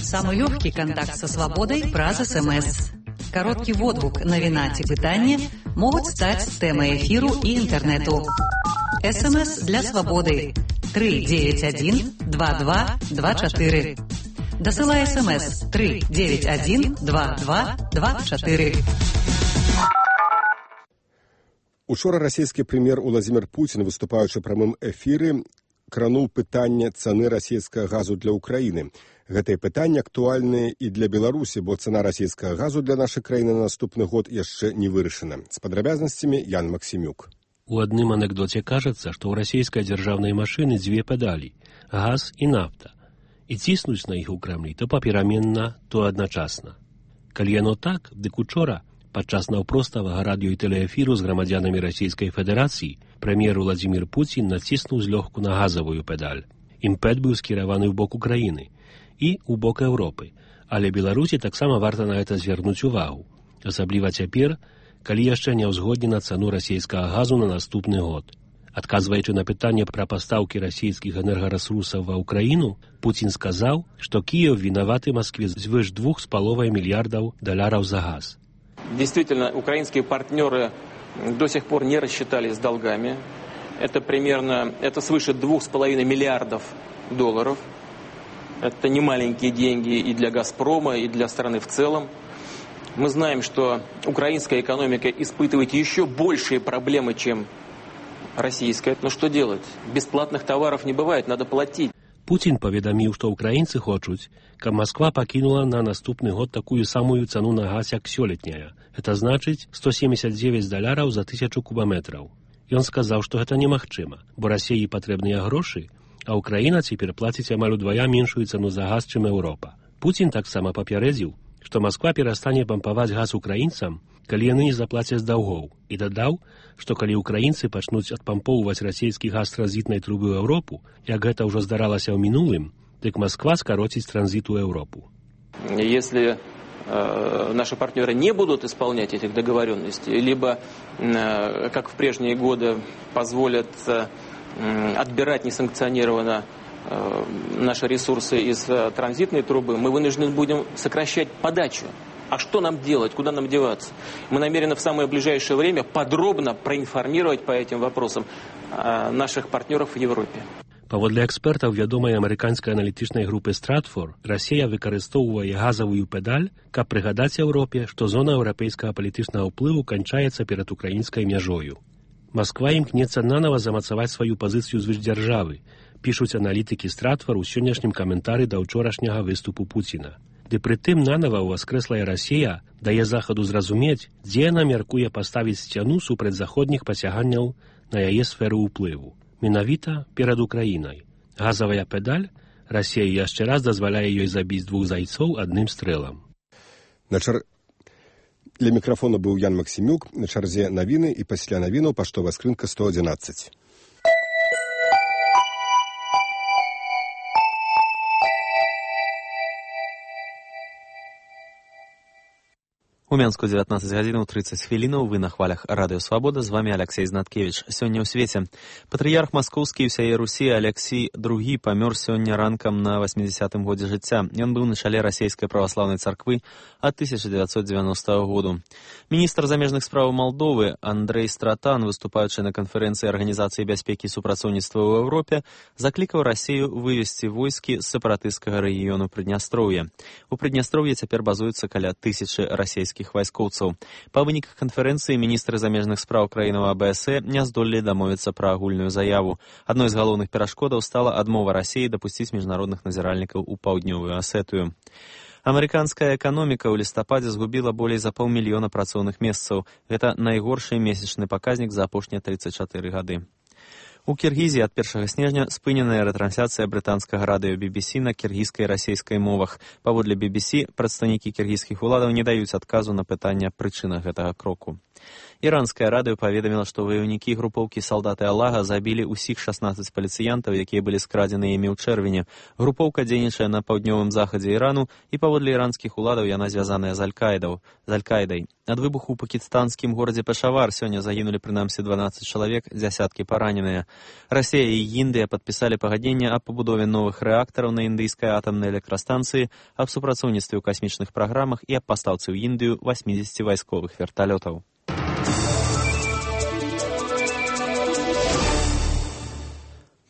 S3: Самый легкий контакт со свободой праз СМС. Короткий водгук навіна ці пытанне могуць стаць тэмай эфіру і інтэрнэту. СМС для свободы три девять один два два два четыре. Дасылай СМС три девять один два два два четыре.
S1: Учора расійскі прэм'ер Уладзімір Пуцін, выступаючы ў прамым эфіры, крануў пытанне цаны расійскага газу для Украіны. Гэтае пытанне актуальнае і для Беларусі, бо цана расійскага газу для нашай краіны на наступны год яшчэ не вырашана. З падрабязнасцямі Ян Максімюк.
S7: У адным анекдоце кажацца, што ў расійскай дзяржаўнай машыны дзве педалі – газ і нафта. І ціснуць на іх у Крамлі то папераменна, то адначасна. Калі яно так, дык учора, падчас наўпроставага радыё і тэлеэфіру з грамадзянамі Расійскай Федэрацыі, прэм'ер Уладзімір Пуцін націснуў злёгку на газавую педаль. Імпэт быў скіраваны ў бок Украіны і ў бок Еўропы, але Беларусі таксама варта на гэта звярнуць увагу, асабліва цяпер, калі яшчэ не ўзгоднена цану расійскага газу на наступны год. Адказваючы на пытанне пра пастаўкі расійскіх энергарэсурсаў ва Ўкраіну, Пуцін сказаў, што Кіеў вінаваты Маскве звыш двух з паловай мільярдаў даляраў за газ.
S8: Действительно, украинские партнеры до сих пор не рассчитались с долгами. Это примерно, это свыше двух с половиной миллиардов долларов. Это не маленькие деньги и для «Газпрома», и для страны в целом. Мы знаем, что украинская экономика испытывает еще большие проблемы, чем российская. Но что делать? Бесплатных товаров не бывает, надо платить.
S7: Пуцін паведаміў, што ўкраінцы хочуць, каб Масква пакінула на наступны год такую самую цану на газ, як сёлетняя. Это значыць сто семьдесят девять даляраў за тысячу кубаметраў. Ён сказаў, што гэта немагчыма, бо Расіі патрэбныя грошы, а Украіна цяпер плаціць амаль удвая меншую цану за газ, чым Еўропа. Пуцін таксама папярэдзіў, што Масква перастане пампаваць газ украінцам, калі яны не заплацяць даўгоў, і дадаў, што калі украінцы пачнуць адпампоўваць расійскі газ транзітнай трубы ў Еўропу, як гэта ўжо здаралася ў мінулым, дык Масква скароціць транзит у Европу.
S8: Если э, наши партнеры не будут исполнять этих договоренностей, либо, э, как в прежние годы, позволят э, отбирать несанкционированно наши ресурсы из транзитной трубы, мы вынуждены будем сокращать подачу. А что нам делать, куда нам деваться? Мы намерены в самое ближайшее время подробно проинформировать по этим вопросам наших партнеров в Европе.
S7: Паводле экспертаў вядомай амерыканскай аналітычнай групы Stratfor, Расія выкарыстоўвае газавую педаль, каб прыгадаць Еўропе, што зона еўрапейскага палітычнага ўплыву канчаецца перад украінскай мяжою. Масква імкнецца нанова замацаваць сваю пазіцыю звышдзяржавы, пішуць аналітыкі Stratfor у сённяшнім каментары да ўчорашняга выступу Пуціна. Ды прытым нанова ўваскрэслая Расія дае захаду зразумець, дзе яна мяркуе паставіць сцяну супраць заходніх пасяганняў на яе сферу ўплыву. Менавіта перад Украінай. Газавая педаль, Расія яшчэ раз дазваляе ёй забіць двух зайцоў адным стрэлам.
S1: На чар... Для мікрафона быў Ян Максімюк, на чарзе навіны і пасля навінаў паштовая скрынка сто адзінаццаць.
S2: У Менску дзевятнаццаць гадзінаў трыццаць хвілінаў, вы на хвалях Радыё Свабода, з вами Алексей Знаткевич. Сёння ў свеце. Патрыярх маскоўскі і ўсяе Русі Алексій другі памёр сёння ранкам на васьмідзясятым годзе жыцця. Ён быў на чале расійскай праваслаўнай царквы ад тысяча дзевяцьсот дзевяностага году. Міністр замежных спраў Малдовы Андрэй Стратан, выступаючы на канферэнцыі Арганізацыі бяспекі і супрацоўніцтва ў Еўропе, заклікаў Расію вывесці войскі з сепаратысцкага рэгіёну Прыднястроўя. У Прыднястроўі цяпер базуецца каля тысячы расійскіх вайскоўцаў. Па выніках канферэнцыі міністры замежных спраў краінаў А Бэ Эс Э не здолелі дамовіцца пра агульную заяву. Адной з галоўных перашкодаў стала адмова Расіі дапусціць міжнародных назіральнікаў у паўднёвую Асетыю. Амерыканская эканоміка ў лістападзе згубіла болей за паўмільёна працоўных месцаў. Гэта найгоршы месячны паказнік за апошнія трыццаць чатыры гады. У Кіргізіі ад першага снежня спыненая рэтрансляцыя брытанскага радыё Би Би Си на кіргізскай і расійскай мовах. Паводле Би Би Си, прадстаўнікі кіргізскіх уладаў не даюць адказу на пытанне прычынах гэтага кроку. Іранскае радыё паведаміла, што ваяўнікі групоўкі «Салдаты Аллаха» забілі ўсіх шаснаццаць паліцыянтаў, якія былі скрадзены імі ў чэрвені. Групоўка дзейнічае на паўднёвым захадзе Ірану, і паводле іранскіх уладаў яна звязаная з Аль-Каідаў, з Аль-Каідай. Ад выбуху ў пакістанскім горадзе Пешавар сёння загінулі прынамсі дванаццаць чалавек, дзясяткі параненыя. Расія і Індыя падпісалі пагадненне аб пабудове новых рэактараў на індыйскай атамнай электрастанцыі, аб супрацоўніцтве ў касмічных праграмах і аб пастаўцы ў Індыю васьмідзесяці вайсковых верталётаў.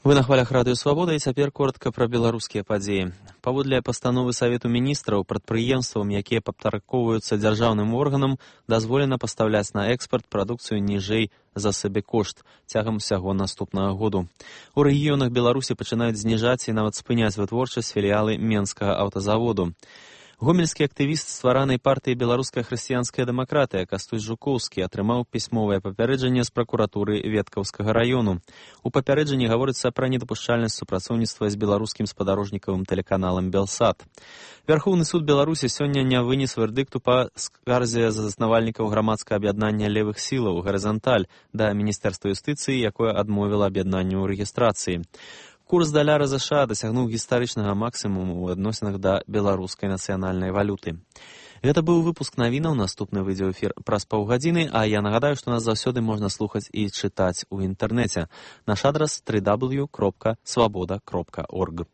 S2: Вы на хвалях Радыё Свабода, і цяпер коротка пра беларускія падзеі. Паводле пастановы Савету міністраў, прадпрыемствам, якія падпарадкоўваюцца дзяржаўным органам, дазволена пастаўляць на экспарт прадукцыю ніжэй за сабекошт цягам усяго наступнага году. У рэгіёнах Беларусі пачынаюць зніжаць і нават спыняць вытворчасць філіялы Менскага аўтазаводу. Гомельскі актывіст стваранай партыі «Беларуская хрысціянская дэмакратыя» Кастусь Жукоўскі атрымаў пісьмовае папярэджанне з пракуратуры Веткаўскага раёну. У папярэджанні гаворыцца пра недапушчальнасць супрацоўніцтва з беларускім спадарожнікавым тэлеканалам «Белсат». Верхоўны суд Беларусі сёння не вынес вердыкту па скарзе заснавальнікаў грамадскага аб'яднання левых сілаў «Гарызанталь» да Міністэрства юстыцыі, якое адмовіла аб'яднанню ў рэгістрацыі. Курс даляра ЗША дасягнуў гістарычнага максімуму ў адносінах да беларускай нацыянальнай валюты. Гэта быў выпуск навінаў, наступны выйдзе ў эфір праз паўгадзіны, а я нагадаю, што нас заўсёды можна слухаць і чытаць у інтэрнэце. Наш адрас дабл ю дабл ю дабл ю кропка свабода кропка орг.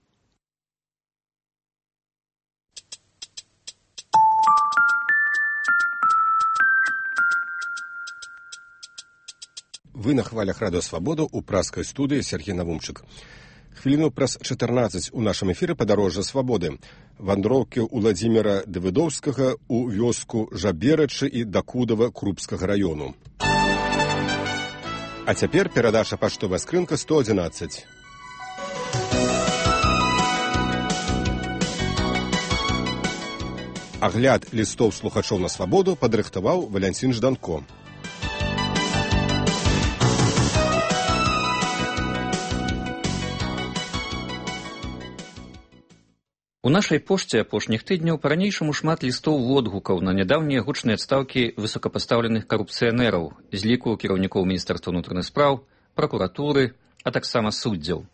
S1: Вы на хвалях Радыё Свабода ў праскай студыі Сергей Навумчык. Хвіліну праз чатырнаццаць у нашым эфіры «Падарожжа свабоды». Вандроўкі Уладзіміра Давыдоўскага ў вёску Жаберачы і Дакудава Крупскага раёну. А цяпер перадача паштовая скрынка сто адзінаццаць. Агляд лістоў слухачоў на свабоду падрыхтаваў Валянцін Жданко.
S9: У нашай пошце апошніх тыдняў па-ранейшаму шмат лістоў водгукаў на нядаўнія гучныя адстаўкі высокапастаўленых карупцыянераў з ліку кіраўнікоў Міністэрства ўнутраных спраў, пракуратуры, а таксама суддзяў.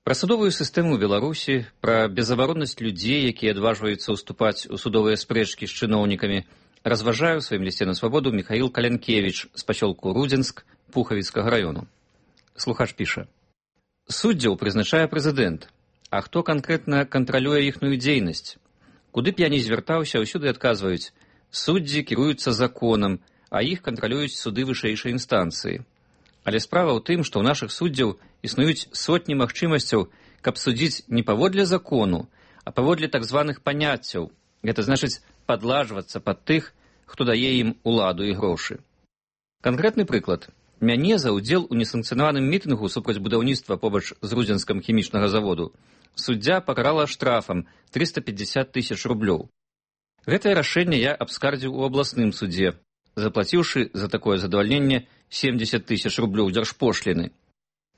S9: Пра судовую сістэму ў Беларусі, пра безабароннасць людзей, якія адважваюцца ўступаць у судовыя спрэчкі з чыноўнікамі, разважае ў сваім лісце на свабоду Міхаіл Калянкевіч з пасёлку Рудзенск Пухавіцкага раёну. Слухач піша. Суддзяў прызначае прэзідэнт. А хто канкрэтна кантралюе іхную дзейнасць? Куды б я ні звяртаўся, ўсюды адказваюць: суддзі кіруюцца законам, а іх кантралююць суды вышэйшай інстанцыі. Але справа ў тым, што ў нашых суддзяў існуюць сотні магчымасцяў, каб судзіць не паводле закону, а паводле так званых паняццяў. Гэта значыць падлажвацца пад тых, хто дае ім уладу і грошы. Канкрэтны прыклад. Мяне за ўдзел у несанкцыянаваным мітынгу супраць будаўніцтва побач з рудзенскам хімічнага заводу суддзя пакарала штрафам трыста пятьдесят тысяч рублёў. Гэтае рашэнне я абскардзіў у абласным судзе, заплаціўшы за такое задавальненне семьдесят тысяч рублёў дзяржпошліны.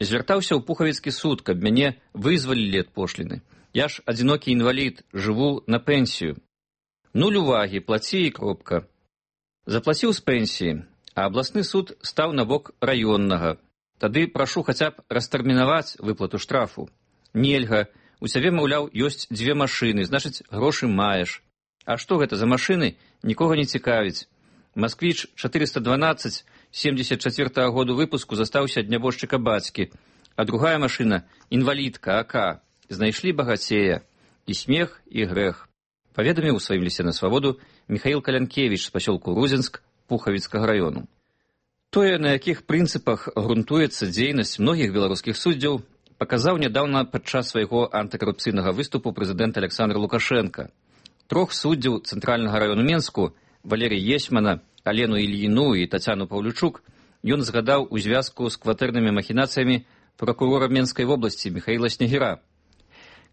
S9: Звяртаўся ў Пухавіцкі суд, каб мяне вызвалілі ад пошліны. Я ж адзінокі інвалід, жыву на пенсію. Нуль увагі, плаці і кропка. Заплаціў з пенсіі, а абласны суд стаў на бок раённага. Тады прашу хаця б растэрмінаваць выплату штрафу. Нельга, у цябе, маўляў, ёсць дзве машыны, значыць, грошы маеш. А што гэта за машыны, нікога не цікавіць. Масквіч чатырыста дванаццаць семьдесят чацвёртага году выпуску застаўся ад нябожчыка бацькі, а другая машына — інвалідка АК. Знайшлі багацея. І смех, і грэх. Паведаміў у сваім лісце на свабоду Міхаіл Калянкевіч з пасёлку Рудзенск Пухавіцкага раёну. Тое, на якіх прынцыпах грунтуецца дзейнасць многіх беларускіх суддзяў, паказаў нядаўна падчас свайго антыкарупцыйнага выступу прэзідэнт Александр Лукашенко. Трох суддзяў цэнтральнага раёну Менску, Валерій Есьмана, Алену Ільіну і Тацяну Паўлючук, ён згадаў у звязку з кватэрнымі махінацыямі пракурора Менскай вобласці Міхаіла Снегіра.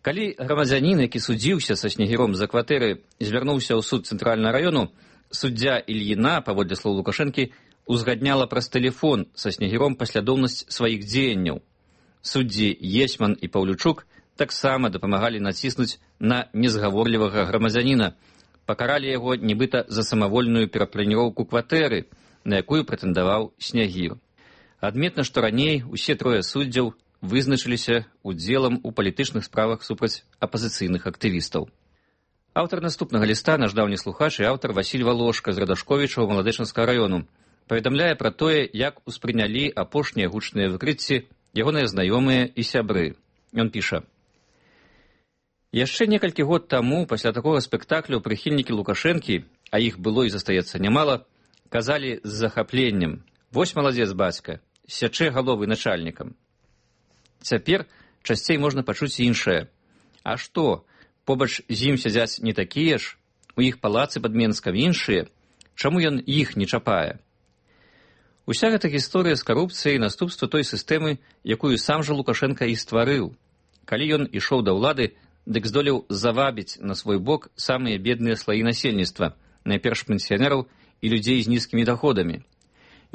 S9: Калі грамадзянін, які судзіўся са Снегіром за кватэры, звярнуўся ў суд цэнтральнага раёну, суддзя Ільіна, паводле слоў Лукашэнкі, узгадняла праз тэлефон са Снегіром паслядоўнасць сваіх дзеянняў. Суддзі Есьман і Паўлючук таксама дапамагалі націснуць на незгаворлівага грамадзяніна, пакаралі яго нібыта за самавольную перапланіроўку кватэры, на якую прэтэндаваў Снегір. Адметна, што раней усе трое суддзяў вызначыліся удзелам у палітычных справах супраць апазіцыйных актывістаў. Аўтар наступнага ліста, наш даўні слухач і аўтар Васіль Валошка з Радашковіча ў Маладэчанскага раёну, паведамляе пра тое, як успрынялі апошнія гучныя выкрыцці ягоныя знаёмыя і сябры. Ён піша: «Яшчэ некалькі год таму, пасля такога спектаклю, прыхільнікі Лукашэнкі, а іх было і застаецца нямала, казалі з захапленнем: «Вось маладзец бацька, сячэ галовы начальнікам». Цяпер часцей можна пачуць іншае. А што, побач з ім сядзяць не такія ж, у іх палацы пад Менскам іншыя, чаму ён іх не чапае? Уся гэта гісторыя з карупцыяй наступства той сістэмы, якую сам жа Лукашенка і стварыў. Калі ён ішоў да ўлады, дык здолеў завабіць на свой бок самыя бедныя слаі насельніцтва, найперш пенсіянераў і людзей з нізкімі даходамі.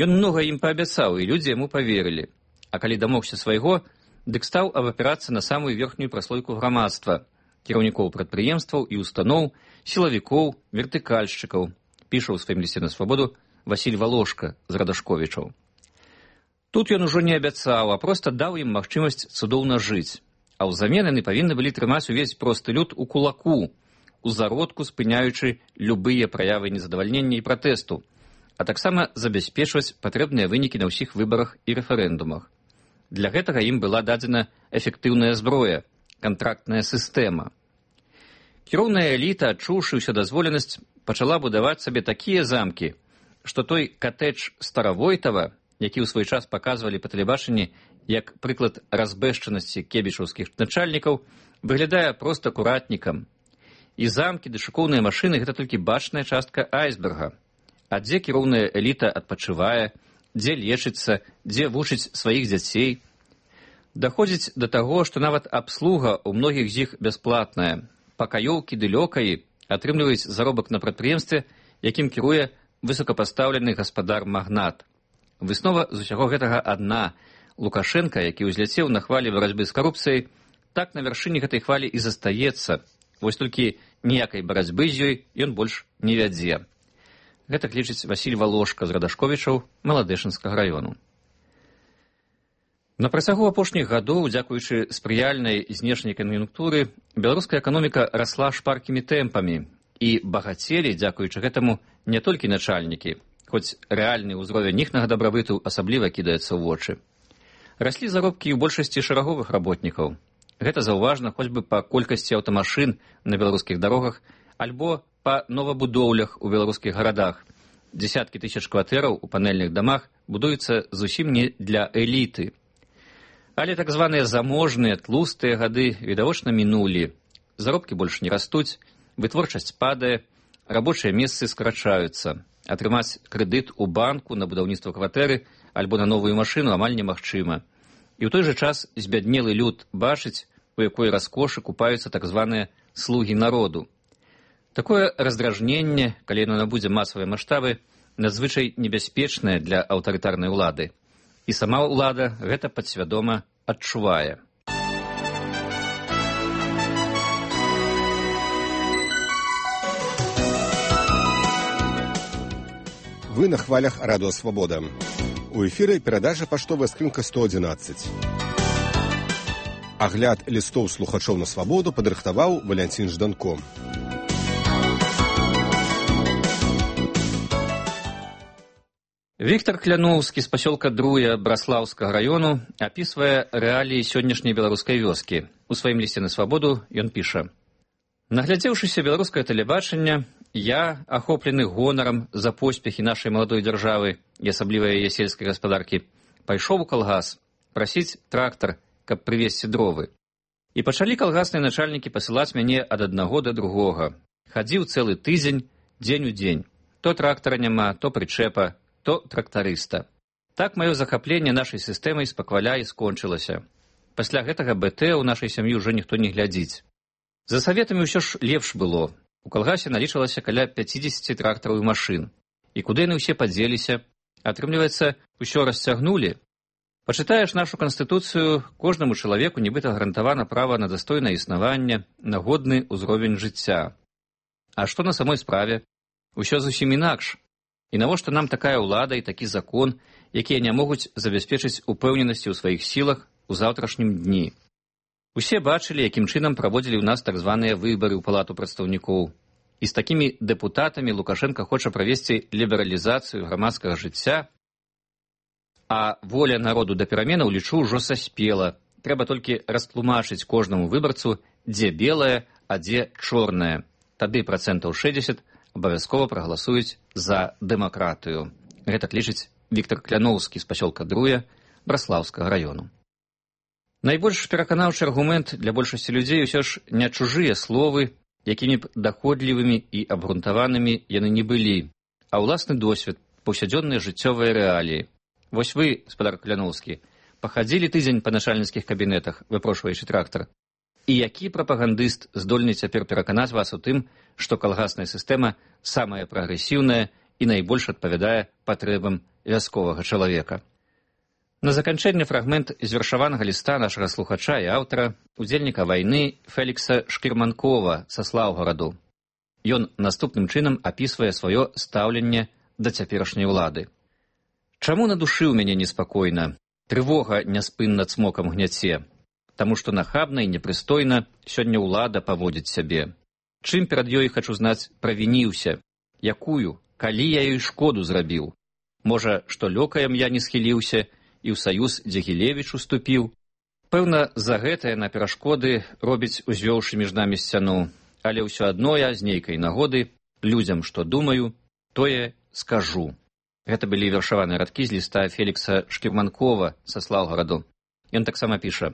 S9: Ён многа ім паабяцаў, і людзі яму паверылі. А калі дамогся свайго, дык стаў абапірацца на самую верхнюю праслойку грамадства, кіраўнікоў прадпрыемстваў і устаноў, сілавікоў, вертыкальшчыкаў, піша ў сваім лісце на свабоду Васіль Валошка з Радашковічаў. Тут ён ужо не абяцаў, а проста даў ім магчымасць цудоўна жыць, а ўзамен яны павінны былі трымаць увесь просты люд у кулаку, у зародку спыняючы любыя праявы незадавальнення і пратэсту, а таксама забяспечваць патрэбныя вынікі на ўсіх выбарах і рэферэндумах. Для гэтага ім была дадзена эфектыўная зброя, кантрактная сістэма. Кіроўная эліта, адчуўшы ўсёдазволенасць, пачала будаваць сабе такія замкі, што той катэдж Старавойтава, які ў свой час паказвалі па тэлебачанні як прыклад разбэшчанасці кебічаўскіх начальнікаў, выглядае проста акуратнікам. І замкі ды шыкоўныя машыны — гэта толькі бачная частка айсберга. А дзе кіроўная эліта адпачывае, дзе лечыцца, дзе вучыць сваіх дзяцей. Даходзіць да таго, што нават абслуга ў многіх з іх бясплатная. Пакаёўкі ды лёкаі атрымліваюць заробак на прадпрыемстве, якім кіруе высокапастаўлены гаспадар-магнат. Выснова з усяго гэтага адна. Лукашенка, які ўзляцеў на хвалі барацьбы з карупцыяй, так на вяршыні гэтай хвалі і застаецца. Вось толькі ніякай барацьбы з ёй ён больш не вядзе. Гэта лічыць Васіль Валошка з Радашковічаў Маладэчанскага раёну. На працягу апошніх гадоў, дзякуючы спрыяльнай знешняй кан'юнктуры, беларуская эканоміка расла шпаркімі тэмпамі, і багацелі, дзякуючы гэтаму, не толькі начальнікі, хоць рэальны ўзровень іхнага дабрабыту асабліва кідаецца ў вочы. Раслі заробкі ў большасці шараговых работнікаў. Гэта заўважна хоць бы па колькасці аўтамашын на беларускіх дарогах альбо па новабудоўлях у беларускіх гарадах. Дзесяткі тысяч кватэраў у панэльных дамах будуюцца зусім не для эліты. Але так званыя заможныя, тлустыя гады відавочна мінулі. Заробкі больш не растуць, вытворчасць падае, рабочыя месцы скарачаюцца. Атрымаць крэдыт у банку на будаўніцтва кватэры альбо на новую машыну амаль немагчыма. І ў той жа час збяднелы люд бачыць, у якой раскошы купаюцца так званыя слугі народу. Такое раздражненне, калі яно набудзе масавыя маштабы, надзвычай небяспечнае для аўтарытарнай улады. І сама ўлада гэта падсвядома адчувае.
S1: Вы на хвалях Радио Свобода. У эфіры перадача паштовая скрынка сто адзінаццаць. Агляд лістоў слухачоў на свабоду падрыхтаваў Валянцін Жданко.
S9: Віктор Кляноўскі з пасёлка Друя Браслаўскага раёну апісвае рэаліі сённяшняй беларускай вёскі. У сваім лісце на свабоду ён піша: «Наглядзеўшыся беларускае тэлебачанне, я, ахоплены гонарам за поспехі нашай маладой дзяржавы і асабліва яе сельскай гаспадаркі, пайшоў у калгас прасіць трактар, каб прывезці дровы. І пачалі калгасныя начальнікі пасылаць мяне ад аднаго да другога. Хадзіў цэлы тыдзень, дзень у дзень. То трактара няма, то прычэпа, то трактарыста. Так маё захапленне нашай сістэмай спакваля і скончылася. Пасля гэтага БТ ў нашай сям'і ўжо ніхто не глядзіць. За саветамі ўсё ж лепш было. У калгасе налічвалася каля пяцідзесяці трактараў і машын. І куды яны ўсе падзеліся? Атрымліваецца, усё расцягнулі. Пачытаеш нашу канстытуцыю, кожнаму чалавеку нібыта гарантавана права на дастойнае існаванне, на годны ўзровень жыцця. А што на самой справе? Усё зусім інакш. І навошта нам такая ўлада і такі закон, якія не могуць забяспечыць упэўненасці ў сваіх сілах у заўтрашнім дні? Усе бачылі, якім чынам праводзілі ў нас так званыя выбары ў палату прадстаўнікоў. І з такімі дэпутатамі Лукашенко хоча правесці лібералізацыю грамадскага жыцця, а воля народу да пераменаў, лічу, ўжо саспела. Трэба толькі растлумачыць кожнаму выбарцу, дзе белае, а дзе чорнае. Тады працэнтаў шэсцьдзесят абавязкова прагаласуюць за дэмакратыю. Гэтак лічыць Віктор Кляноўскі з пасёлка Друя Браслаўскага раёну. Найбольш пераканаўчы аргумент для большасці людзей усё ж не чужыя словы, якімі б даходлівымі і абгрунтаванымі яны не былі, а ўласны досвед, паўсядзённыя жыццёвыя рэаліі. Вось вы, спадар Кляноўскі, пахадзілі тыдзень па начальніцкіх кабінетах, выпрошваючы трактар. І які прапагандыст здольны цяпер пераканаць вас у тым, што калгасная сістэма самая прагрэсіўная і найбольш адпавядае патрэбам вясковага чалавека? На заканчэнне фрагмент з вершаванага ліста нашага слухача і аўтара, удзельніка вайны Фелікса Шкірманкова са Слаўгараду. Ён наступным чынам апісвае сваё стаўленне да цяперашняй улады. «Чаму на душы ў мяне неспакойна? Трывога няспынна цмокам гняце. Таму што нахабна і непрыстойна сёння ўлада паводзіць сябе. Чым перад ёй, хачу знаць, правініўся? Якую? Калі я ёй шкоду зрабіў? Можа, што лёкаем я не схіліўся і ў саюз Дзягілевіч уступіў? Пэўна, за гэта яна перашкоды робіць, узвёўшы між намі сцяну. Але ўсё адно я з нейкай нагоды людзям, што думаю, тое скажу». Гэта былі вершаваныя радкі з ліста Фелікса Шкірманкова са Слаўгараду. Ён таксама піша: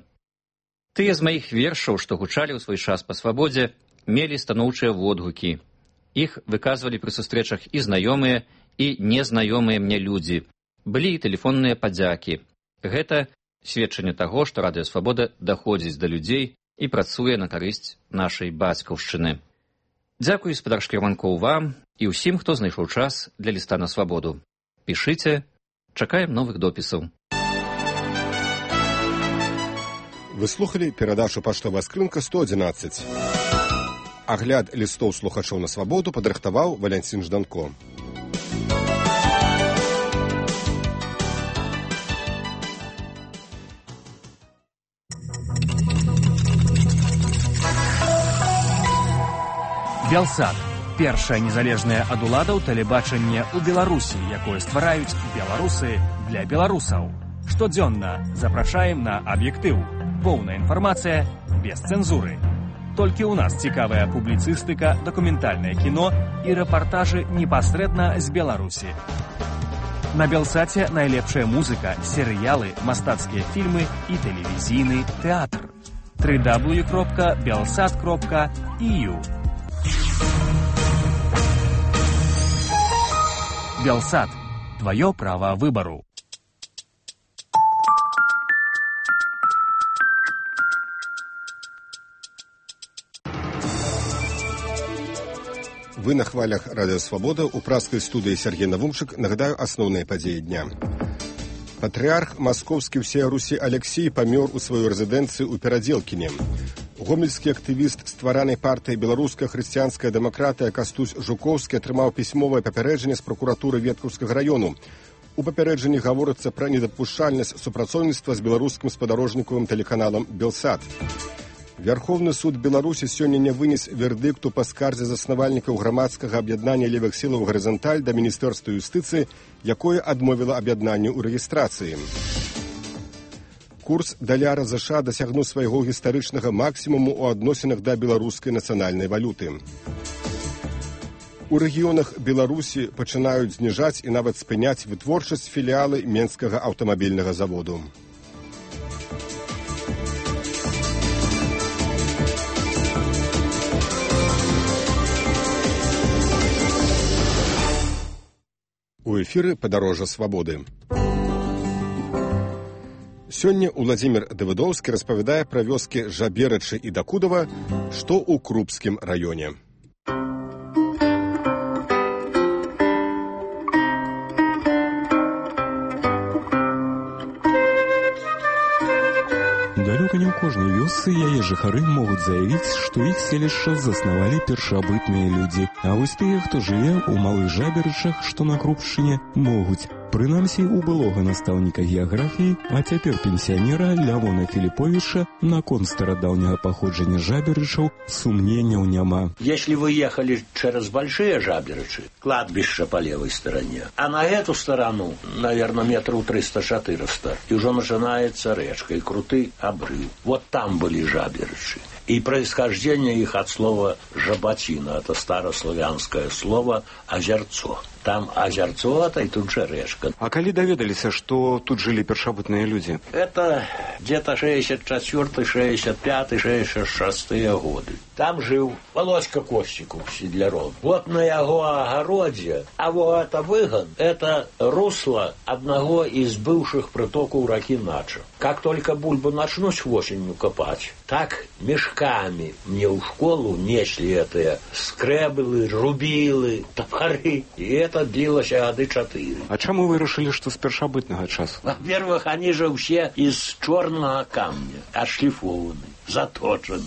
S9: «Тыя з маіх вершаў, што гучалі ў свой час па свабодзе, мелі станоўчыя водгукі. Іх выказвалі пры сустрэчах і знаёмыя, і незнаёмыя мне людзі. Былі і тэлефонныя падзякі. Гэта сведчанне таго, што Радыё Свабода даходзіць да людзей і працуе на карысць нашай бацькаўшчыны. Дзякуй, спадар Шкірманкоў, вам і ўсім, хто знайшоў час для ліста на свабоду. Пішыце, чакаем новых допісаў».
S1: Вы слухалі перадачу «Паштовая скрынка сто адзінаццаць». Агляд лістоў слухачоў на свабоду падрыхтаваў Валянцін Жданко.
S10: Белсат. Першае незалежнае ад уладаў тэлебачанне ў Беларусі, якое ствараюць беларусы для беларусаў. Штодзённа запрашаем на аб'ектыў. Поўная інфармацыя без цэнзуры. Толькі ў нас цікавая публіцыстыка, дакументальнае кіно і рэпартажы непасрэдна з Беларусі. На Белсаце найлепшая музыка, серыялы, мастацкія фільмы і тэлевізійны тэатр. дабл ю дабл ю дабл ю кропка белсат кропка і ю. Белсат. Твое право выбору.
S1: Вы на хвалях Радио Свобода. У праскай студыі Сергей Навумчык. Нагадаю асноўныя падзеі дня. Патрыарх Маскоўскі ўсея Русі Алексей памёр у сваёй рэзідэнцыі ў Перадзелкіне. Гомельскі актывіст стваранай партыі «Беларуская хрысціянская дэмакратыя» Кастусь Жукоўскі атрымаў пісьмовае папярэджанне з пракуратуры Веткаўскага раёну. У папярэджанні гаворыцца пра недапушчальнасць супрацоўніцтва з беларускім спадарожнікавым тэлеканалам «Белсат». Верховны суд Беларусі сёння не вынес вердыкту па скардзе заснавальнікаў грамадскага аб'яднання левых сілаў «Гарызанталь» да Міністэрства юстыцыі, якое адмовіла аб'яднанню ў рэгістрацыі. Курс даляра ЗША дасягнуў свайго гістарычнага максімуму ў адносінах да беларускай нацыянальнай валюты. У рэгіёнах Беларусі пачынаюць зніжаць і нават спыняць вытворчасць філіалы Менскага аўтамабільнага заводу. У эфіры «Падарожжа свабоды». Сёння Уладзімір Давыдоўскі распавядае пра вёскі Жаберачы і Дакудава, што ў Крупскім раёне.
S11: Далёка не ў кожнай вёсцы яе жыхары могуць заявіць, што іх селішча заснавалі першабытныя людзі. А вось тыя, хто жыве ў малых Жаберачах, што на Крупшчыне, могуць. Прынамсі, у былога настаўніка геаграфіі, а цяпер пенсіянера Лявона Філіповіча наконт старадаўняга паходжання Жаберачаў сумненняў няма.
S12: Если вы ехали через большие Жаберачи, кладбище по левой стороне, а на эту сторону, наверное, метров триста-четыреста, и уже начинается речка, и крутый обрыв. Вот там были Жаберачи. И происхождение их от слова «жаботина». Это старославянское слово «озерцо». Там озерцо, это и тут же речка.
S13: А коли доведалися, что тут жили першобытные люди?
S12: Это где-то шестьдесят четвёртый, шестьдесят пятый, шестьдесят шестые годы. Там жил Володька Костиков, Сидляров. Вот на его огороде, а вот это выгон, это русло одного из бывших притоков реки Нача. Как только бульбу начнуть осенью копать, так мешками мне в школу несли это скребелы, рубилы, топоры. И это длилось годы четыре.
S13: А чему вы решили, что с першобытного часу?
S12: Во-первых, они же все из черного камня, отшлифованы, заточены.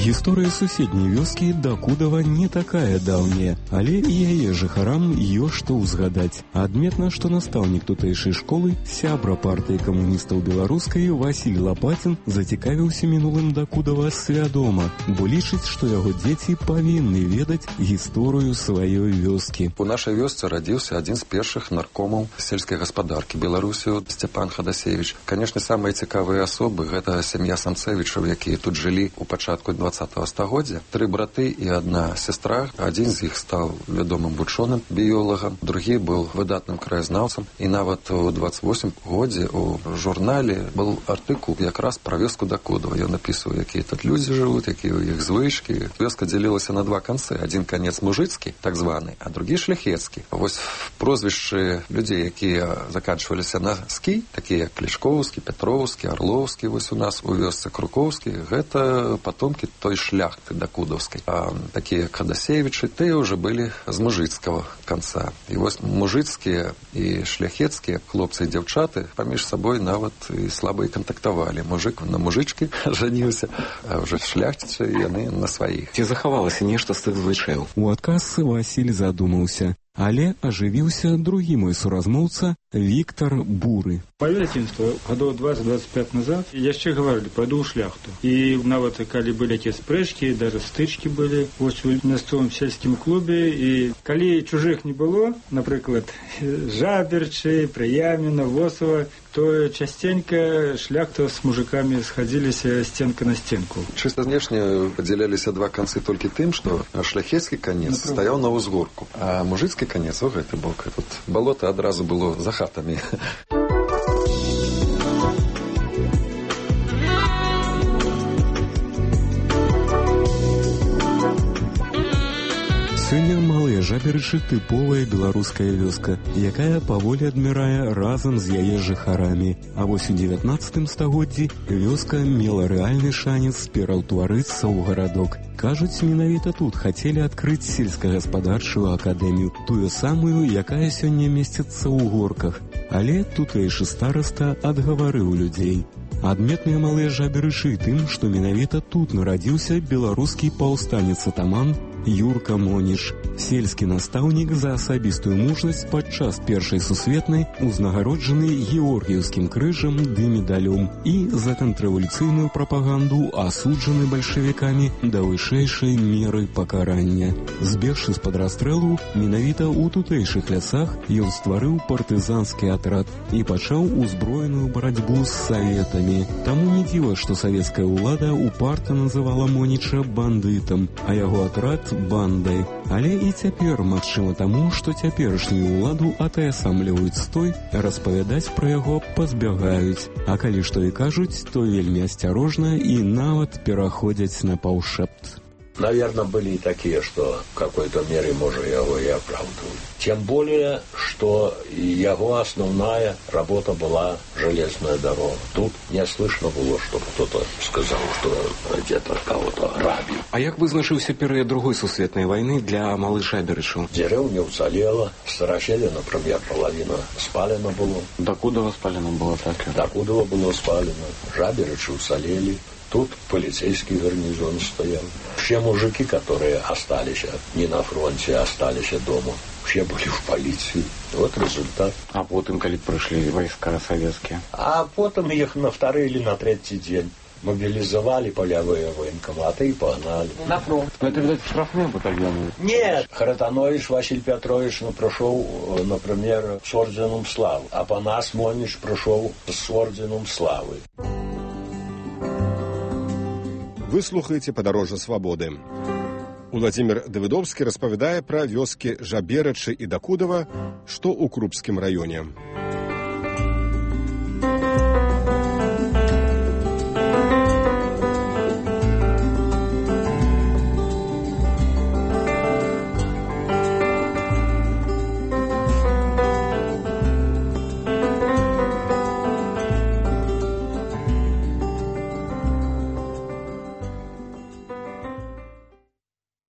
S11: Гісторыя суседняй вёскі Дакудава не такая даўняя, але і яе жыхарам ёсць што ўзгадаць. Адметна, што настаўнік тутэйшай школы, сябра партыі камуністаў беларускай Васіль Лапацін зацікавіўся мінулым Дакудава свядома, бо лічыць, што яго дзеці павінны ведаць гісторыю сваёй вёскі.
S15: У нашай вёсцы радзіўся адзін з першых наркомаў сельскай гаспадаркі Беларусі Сцяпан Хадасевіч. Канешне, самыя цікавыя асобы гэта сям'я Самцевічаў, якія тут жылі ў пачатку двадцатого стагоддзя. Тры браты і адна сестра. Адзін з іх стаў вядомым вучоным біёлагам, другі быў выдатным краязнаўцам. І нават у двадцать восьмым годзе у журнале быў артыкул якраз пра вёску Дакудава. Ён напісваў, якія тут людзі жывуць, якія ў іх звычкі. Вёска дзялілася на два канцы. Адзін канец мужыцкі, так званы, а другі шляхецкі. Вось прозвішчы людзей, якія заканчваліся на скі, такія як Клішкоўскі, Петроўскі, Арлоўскі, вось у нас у вёсцы Крукоўскі, гэта патомкі той шляхты дакудаўскай. А такія як Хадасевічы, тыя ўжо былі з мужыцкага канца. І вось мужыцкія і шляхецкія хлопцы і дзяўчаты паміж сабой нават і слаба і кантактавалі. Мужык на мужычкі жаніўся, а ўжо шляхціцы яны на сваіх.
S13: Ці захавалася нешта з тых звычаяў?
S11: У адказ Васіль задумаўся. Але ажывіўся другі мой суразмоўца Віктор Буры.
S16: Маё дзяцінства гадоў двадцать-двадцать пять назад яшчэ гаварылі, пайду ў шляхту. І нават калі былі якія спрэчкі, даже стычкі былі вось у мясцовым сельскім клубе. І калі чужых не было, напрыклад, Жаберчы, Прыяміна, Восова, то частенька шляхта з мужикамі схадзіліся стенка на стенку.
S15: Чыста знешне падзяляліся два канцы толькі тым, што шляхецкі канец стаяў на ўзгорку, а мужыцкі канец у гэты бок. Тут балота адразу было за хатамі.
S11: Сёння Малыя Жаберычы тыповая беларуская вёска, якая паволі адмірае разам з яе жыхарамі. А вось у дзевятнаццатым стагоддзі вёска мела рэальны шанец пераўтварыцца ў гарадок. Кажуць, менавіта тут хацелі адкрыць сельскагаспадарчую акадэмію, тую самую, якая сёння месціцца ў горках. Але тутэйшы стараста адгаварыў людзей. Адметныя Малыя Жаберычы тым, што менавіта тут нарадзіўся беларускі паўстанец-атаман Юрка Моніч, сельскі настаўнік за асабістую мужнасць падчас першай сусветнай, узнагароджаны георгіеўскім крыжам ды медалём і за контррэвалюцыйную прапаганду асуджаны бальшавікамі да вышэйшай меры пакарання. Збегшы з-пад расстрэлу, менавіта ў тутэйшых лясах ён стварыў партызанскі атрад і пачаў узброеную барацьбу з саветамі. Таму не дзіва, што савецкая ўлада упарта называла Моніча бандытам, а яго атрад бандай. Але і цяпер магчыма таму, што цяперашнюю ўладу атаясамліваюць з той, распавядаць пра яго пазбягаюць. А калі што і кажуць, то вельмі асцярожна і нават пераходзяць на паўшэпт.
S12: Наверное, были и такие, что в какой-то мере, может, его и оправдывают. Тем более, что его основная работа была железная дорога. Тут не слышно было, чтобы кто-то сказал, что где-то кого-то грабил.
S13: А як вызначыўся перыяд другой сусветнай войны для Малых Жаберычаў?
S12: Деревня уцелела, Старощелье, например, половина спалена было.
S13: Докудова спалено было так?
S12: Докудова было спалено. Жаберычи уцелели. Тут полицейский гарнизон стоял. Все мужики, которые остались не на фронте, остались дома, все были в полиции. Вот результат.
S13: А потом, когда пришли войска советские?
S12: А потом их на второй или на третий день мобилизовали полевые военкоматы и погнали.
S13: На фронт. Но это, видать, штрафные батальоны?
S12: Нет. Харатанович Василий Петрович ну, прошел, например, с орденом славы. А Панас Монич прошел с орденом славы.
S1: Вы слухаеце падарожжа свабоды. Уладзімір Давыдовскі распавядае пра вёскі Жаберычы і Дакудава, што ў Крупскім раёне.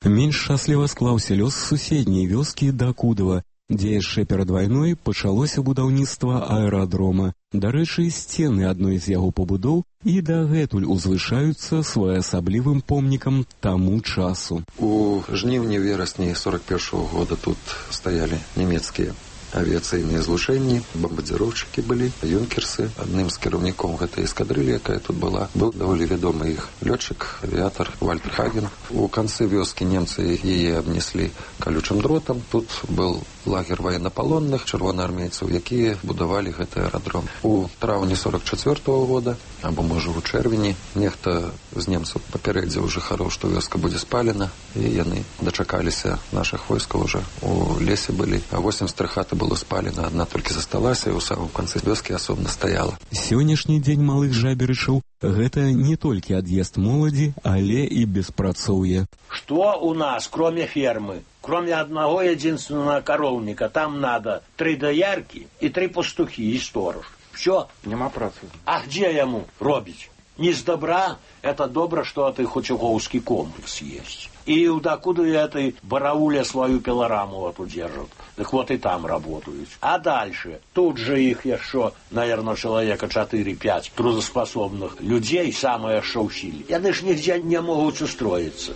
S11: Менш шчасліва склаўся лёс суседняй вёскі Дакудава, дзе яшчэ перад вайной пачалося будаўніцтва аэрадрома. Дарэчы, сцены адной з яго пабудоў і дагэтуль узвышаюцца своеасаблівым помнікам таму часу.
S15: У жніўні-верасні сорок першага года тут стаялі нямецкія авіяцыйныя злучэнні, бомбардзіроўшчыкі былі, юнкерсы. Адным з кіраўнікоў гэтай эскадрылі, якая тут была, был даволі вядомы іх лётчык, авіятар Вальтер Хаген. У канцы вёскі немцы яе абнеслі калючым дротам. Тут был лагер военнапалонных чырвонаармейцаў, якія будавалі гэты аэрадром. У траўні сорок чацвёртага года, або можа у чэрвені, нехта з немцаў папярэдзіў жыхароў, што вёска будзе спалена, і яны дачакаліся нашых войскаў уже. У лесе былі, а восемьдесят хаты было спалена, адна толькі засталася, і ў самым канцы вёскі асобна стаяла.
S11: Сённяшні дзень Малых Жаберычаў – гэта не толькі ад'езд моладзі, але і беспрацоўе.
S12: Что у нас, кроме фермы? Кроме одного единственного коровника, там надо три доярки и три пастухи и сторож. Все.
S13: Нема працы.
S12: А где ему робить? Не с добра, это добро, что это Хочуковский комплекс есть. И докуда этой барауле свою пилораму вот удержат. Так вот и там работают. А дальше, тут же их еще, наверное, человека четыре-пять трудоспособных людей, самое шо усилие. Они ж нигде не могут устроиться.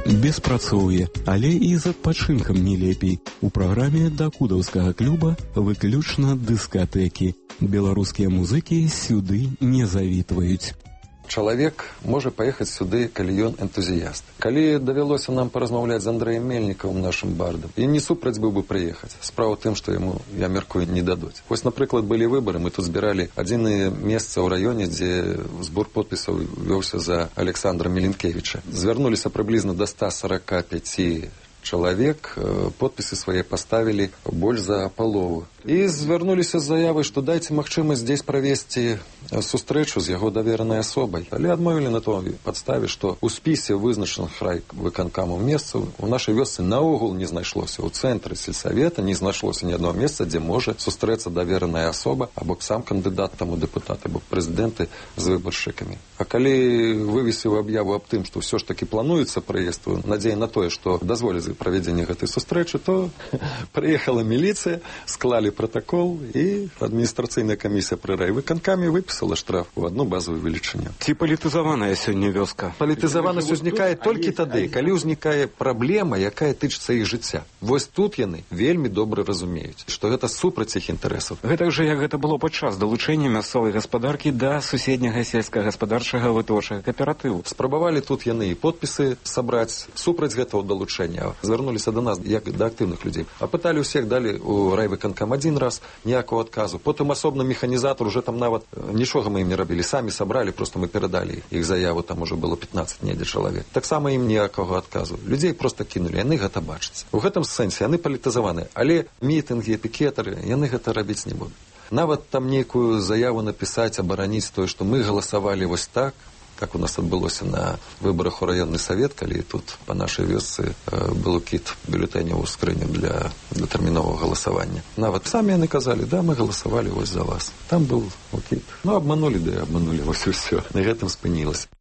S11: Беспрацоўе, але і з адпачынкам не лепей. У праграме дакудаўскага клуба выключна дыскатэкі. Беларускія музыкі сюды не завітваюць.
S15: Чалавек можа паехаць сюды, калі ён энтузіяст. Калі давялося нам паразмаўляць з Андрэем Мельнікавым, нашым бардам, і не супраць быў бы прыехаць. Справа ў тым, што яму, я мяркую, не дадуць. Вось, напрыклад, былі выбары, мы тут збіралі адзінае месца ў раёне, дзе збор подпісаў вёўся за Александра Меленкевіча. Звярнуліся прыблізна да ста сорока пяці чалавек, подпісы свае паставілі больш за палову. І звярнуліся з заявай, што дайце магчымасць здесь правесці сустрэчу з яго даверанай асобай. Але адмовілі на той падставе, што ў спісе вызначаных райвыканкамаў месцаў у нашай вёсцы наогул не знайшлося. У цэнтры сельсавета не знайшлося ні аднаго месца, дзе можа сустрэцца давераная асоба або сам кандыдат там у дэпутаты, або прэзідэнты з выбаршчыкамі. А калі вывесіў аб'яву аб тым, што ўсё ж такі плануецца прыезд, надзея на тое, што дазволяць правядзенне гэтай сустрэчы, то прыехала міліцыя, склалі протокол, і адміністрацыйная камісія пры райвыканкаме выпісала штраф у одну базовую велічыню.
S13: Ці палітызаваная сёння вёска?
S15: Палітызаванасць узнікае толькі тады, калі ўзнікае праблема, якая тычыцца іх жыцця. Вось тут яны вельмі добра разумеюць, што гэта супраць іх інтарэсаў.
S13: Гэта ж як гэта было падчас далучэння мясцовай гаспадаркі да суседняга сельскагаспадарчага вытворчага кааператыву.
S15: Спрабавалі тут яны і подпісы сабраць супраць гэтага далучэння. Звярнуліся да нас як да актыўных людзей. Апыталі ўсіх, далі у райвыканкам один раз, ніякого адказу. Потым асобна механізатор, уже там нават нічога мы ім не рабілі, самі сабралі, просто мы перадалі іх заяву, там уже было пятнаццаць недзе чалавек. Таксама ім ніякага адказу. Людзей просто кінулі, яны гэта бачаць. У гэтым сэнсе яны палітызаваныя, але мітынгі, пікетары, яны гэта рабіць не будуць. Нават там нейкую заяву напісаць, абараніць тое, што мы галасавалі вось так, как у нас адбылося на выборах у районны савет, калі тут па нашай вёсцы был кіт бюлетэняў у скрыню для датэрміновага галасавання. Нават самі яны казалі, да, мы галасавалі вось за вас. Там быў кіт. Ну, обманулі, да і обманулі, вось і ўсё. На гэтым спынілася.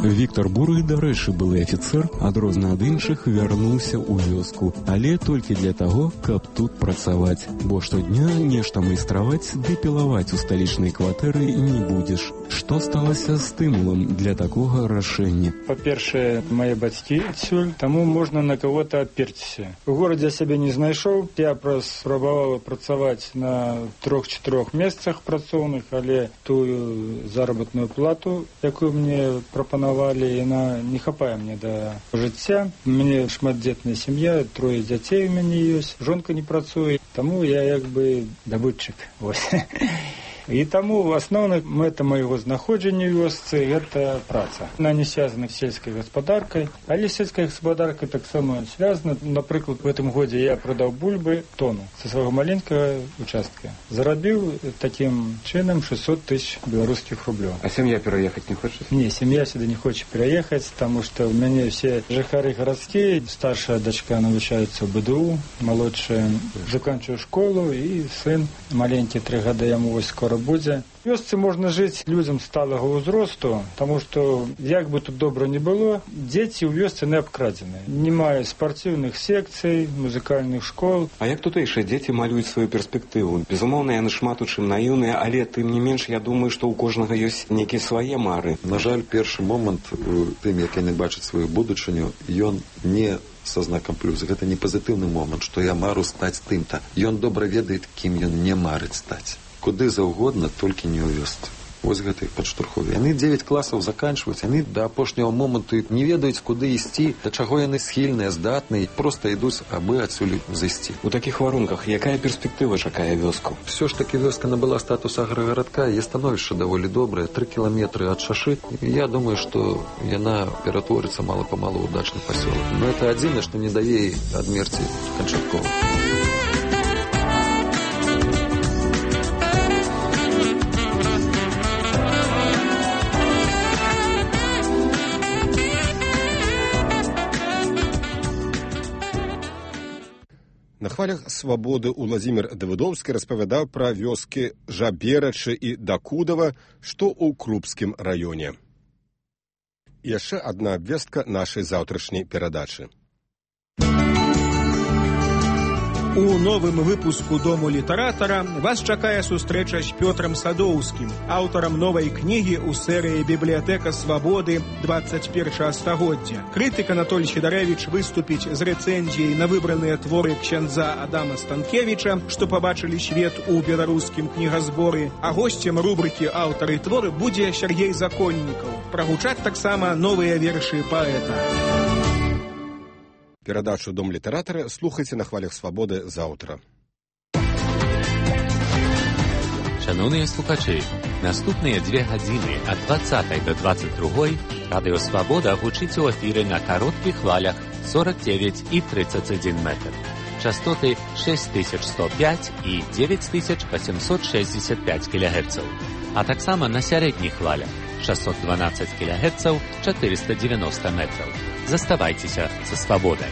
S11: Віктор Буры, дарэчы, былы афіцэр, адрозна ад іншых вярнуўся ў вёску, але толькі для таго, каб тут працаваць, бо штодня нешта майстраваць ды пілаваць у сталічнай кватэры не будзеш. Што сталася стымулам для такога рашэння?
S16: Па-першае, мае бацькі адсюль, таму можна на кого-то аперціся. У горадзе сябе не знайшоў, я спрабаваў працаваць на трох-чатырох месцах працоўных, але тую заработную плату, якую мне прапанавалі, яна не хапае мне да жыцця. У мяне шматдзетная сям'я, трое дзяцей у мяне ёсць, жонка не працуе, таму я як бы дабытчык. Вось. І таму асноўная мэта майго знаходжання ў вёсцы гэта праца. Она не связана з сельскай гаспадаркай, але сельская гаспадарка таксама связана. Напрыклад, в гэтым годзе я прадаў бульбы тону са свайго маленькага участка. Зарабіў такім чынам шестьсот тысяч беларускіх рублёў.
S13: А сям'я пераехаць не хоча?
S16: Не, сям'я сюды не хоча пераехаць, таму што ў мяне все жыхары гарадскія. Старшая дачка навучаецца ў бэ дэ у, малодшая заканчвае школу, і сын маленькі, тры гады яму вось скора будзе. В вёсцы можна жыць людзям сталага ўзросту, таму што, як бы тут добра не было, дзеці ў вёсцы не абкрадзеныя. Не мае спартыўных секцый, музыкальных школ.
S13: А як тутэйшыя дзеці малююць сваю перспектыву? Безумоўна, яны шмат у чым наіўныя, але тым не менш, я думаю, што ў кожнага ёсць нейкія свае мары.
S15: На жаль, першы момант у тым, як яны бачаць сваю будучыню, ён не са знакам плюс. Гэта не пазітыўны момант, што я мару стаць тым-то. Ён добра ведае, кім ён не марыць стаць. Куды заўгодна, толькі не ў вёсцы. Вось гэта іх падштурхове. Яны дзевяць класаў заканчваюць, яны да апошняго моманту не ведаюць, куды ісці, да чаго яны схільныя, здатныя, проста ідуць, абы адсюль зайсці.
S13: У такіх варунках якая перспектыва чакае вёску?
S15: Всё ж такі вёска набыла статус аграгарадка, яе становішча даволі добрае, тры кіламетры ад шашы. Я думаю, што яна ператворыцца мала-памалу ў дачны пасёлак. Но это адзінае, што не дае адмерці канчаткова.
S1: На хвалях свабоды Уладзімір Давыдоўскі распавядаў пра вёскі Жаберачы і Дакудава, што ў Крупскім раёне. Яшчэ адна абвестка нашай заўтрашняй перадачы.
S17: У новым выпуску «Дому літаратара» вас чакае сустрэча з Пётрам Садоўскім, аўтарам новай кнігі ў серыі «Бібліятэка свабоды двадцать первого стагоддзя». Крытык Анатоль Сідарэвіч выступіць з рэцэнзіяй на выбраныя творы ксяндза Адама Станкевіча, што пабачылі свет у беларускім кнігазборы, а госцем рубрыкі «Аўтары творы» будзе Сергей Законнікаў. Прагучаць таксама новыя вершы паэта.
S1: Перадачу «Дом літаратара» слухайце на хвалях свабоды заўтра.
S18: Шановныя слухачы, наступныя две гадзіны ад двадцатай до двадцать другой радыё «Свабода» гучыць у эфіры на кароткіх хвалях сорок девять и тридцать один метр. Частоты шесть тысяч сто пять и девять тысяч восемьсот шестьдесят пять килогерцаў, а таксама на сярэдніх хвалях шестьсот двенадцать килогерцаў, четыреста девяносто метров. Заставайцеся са свабодай.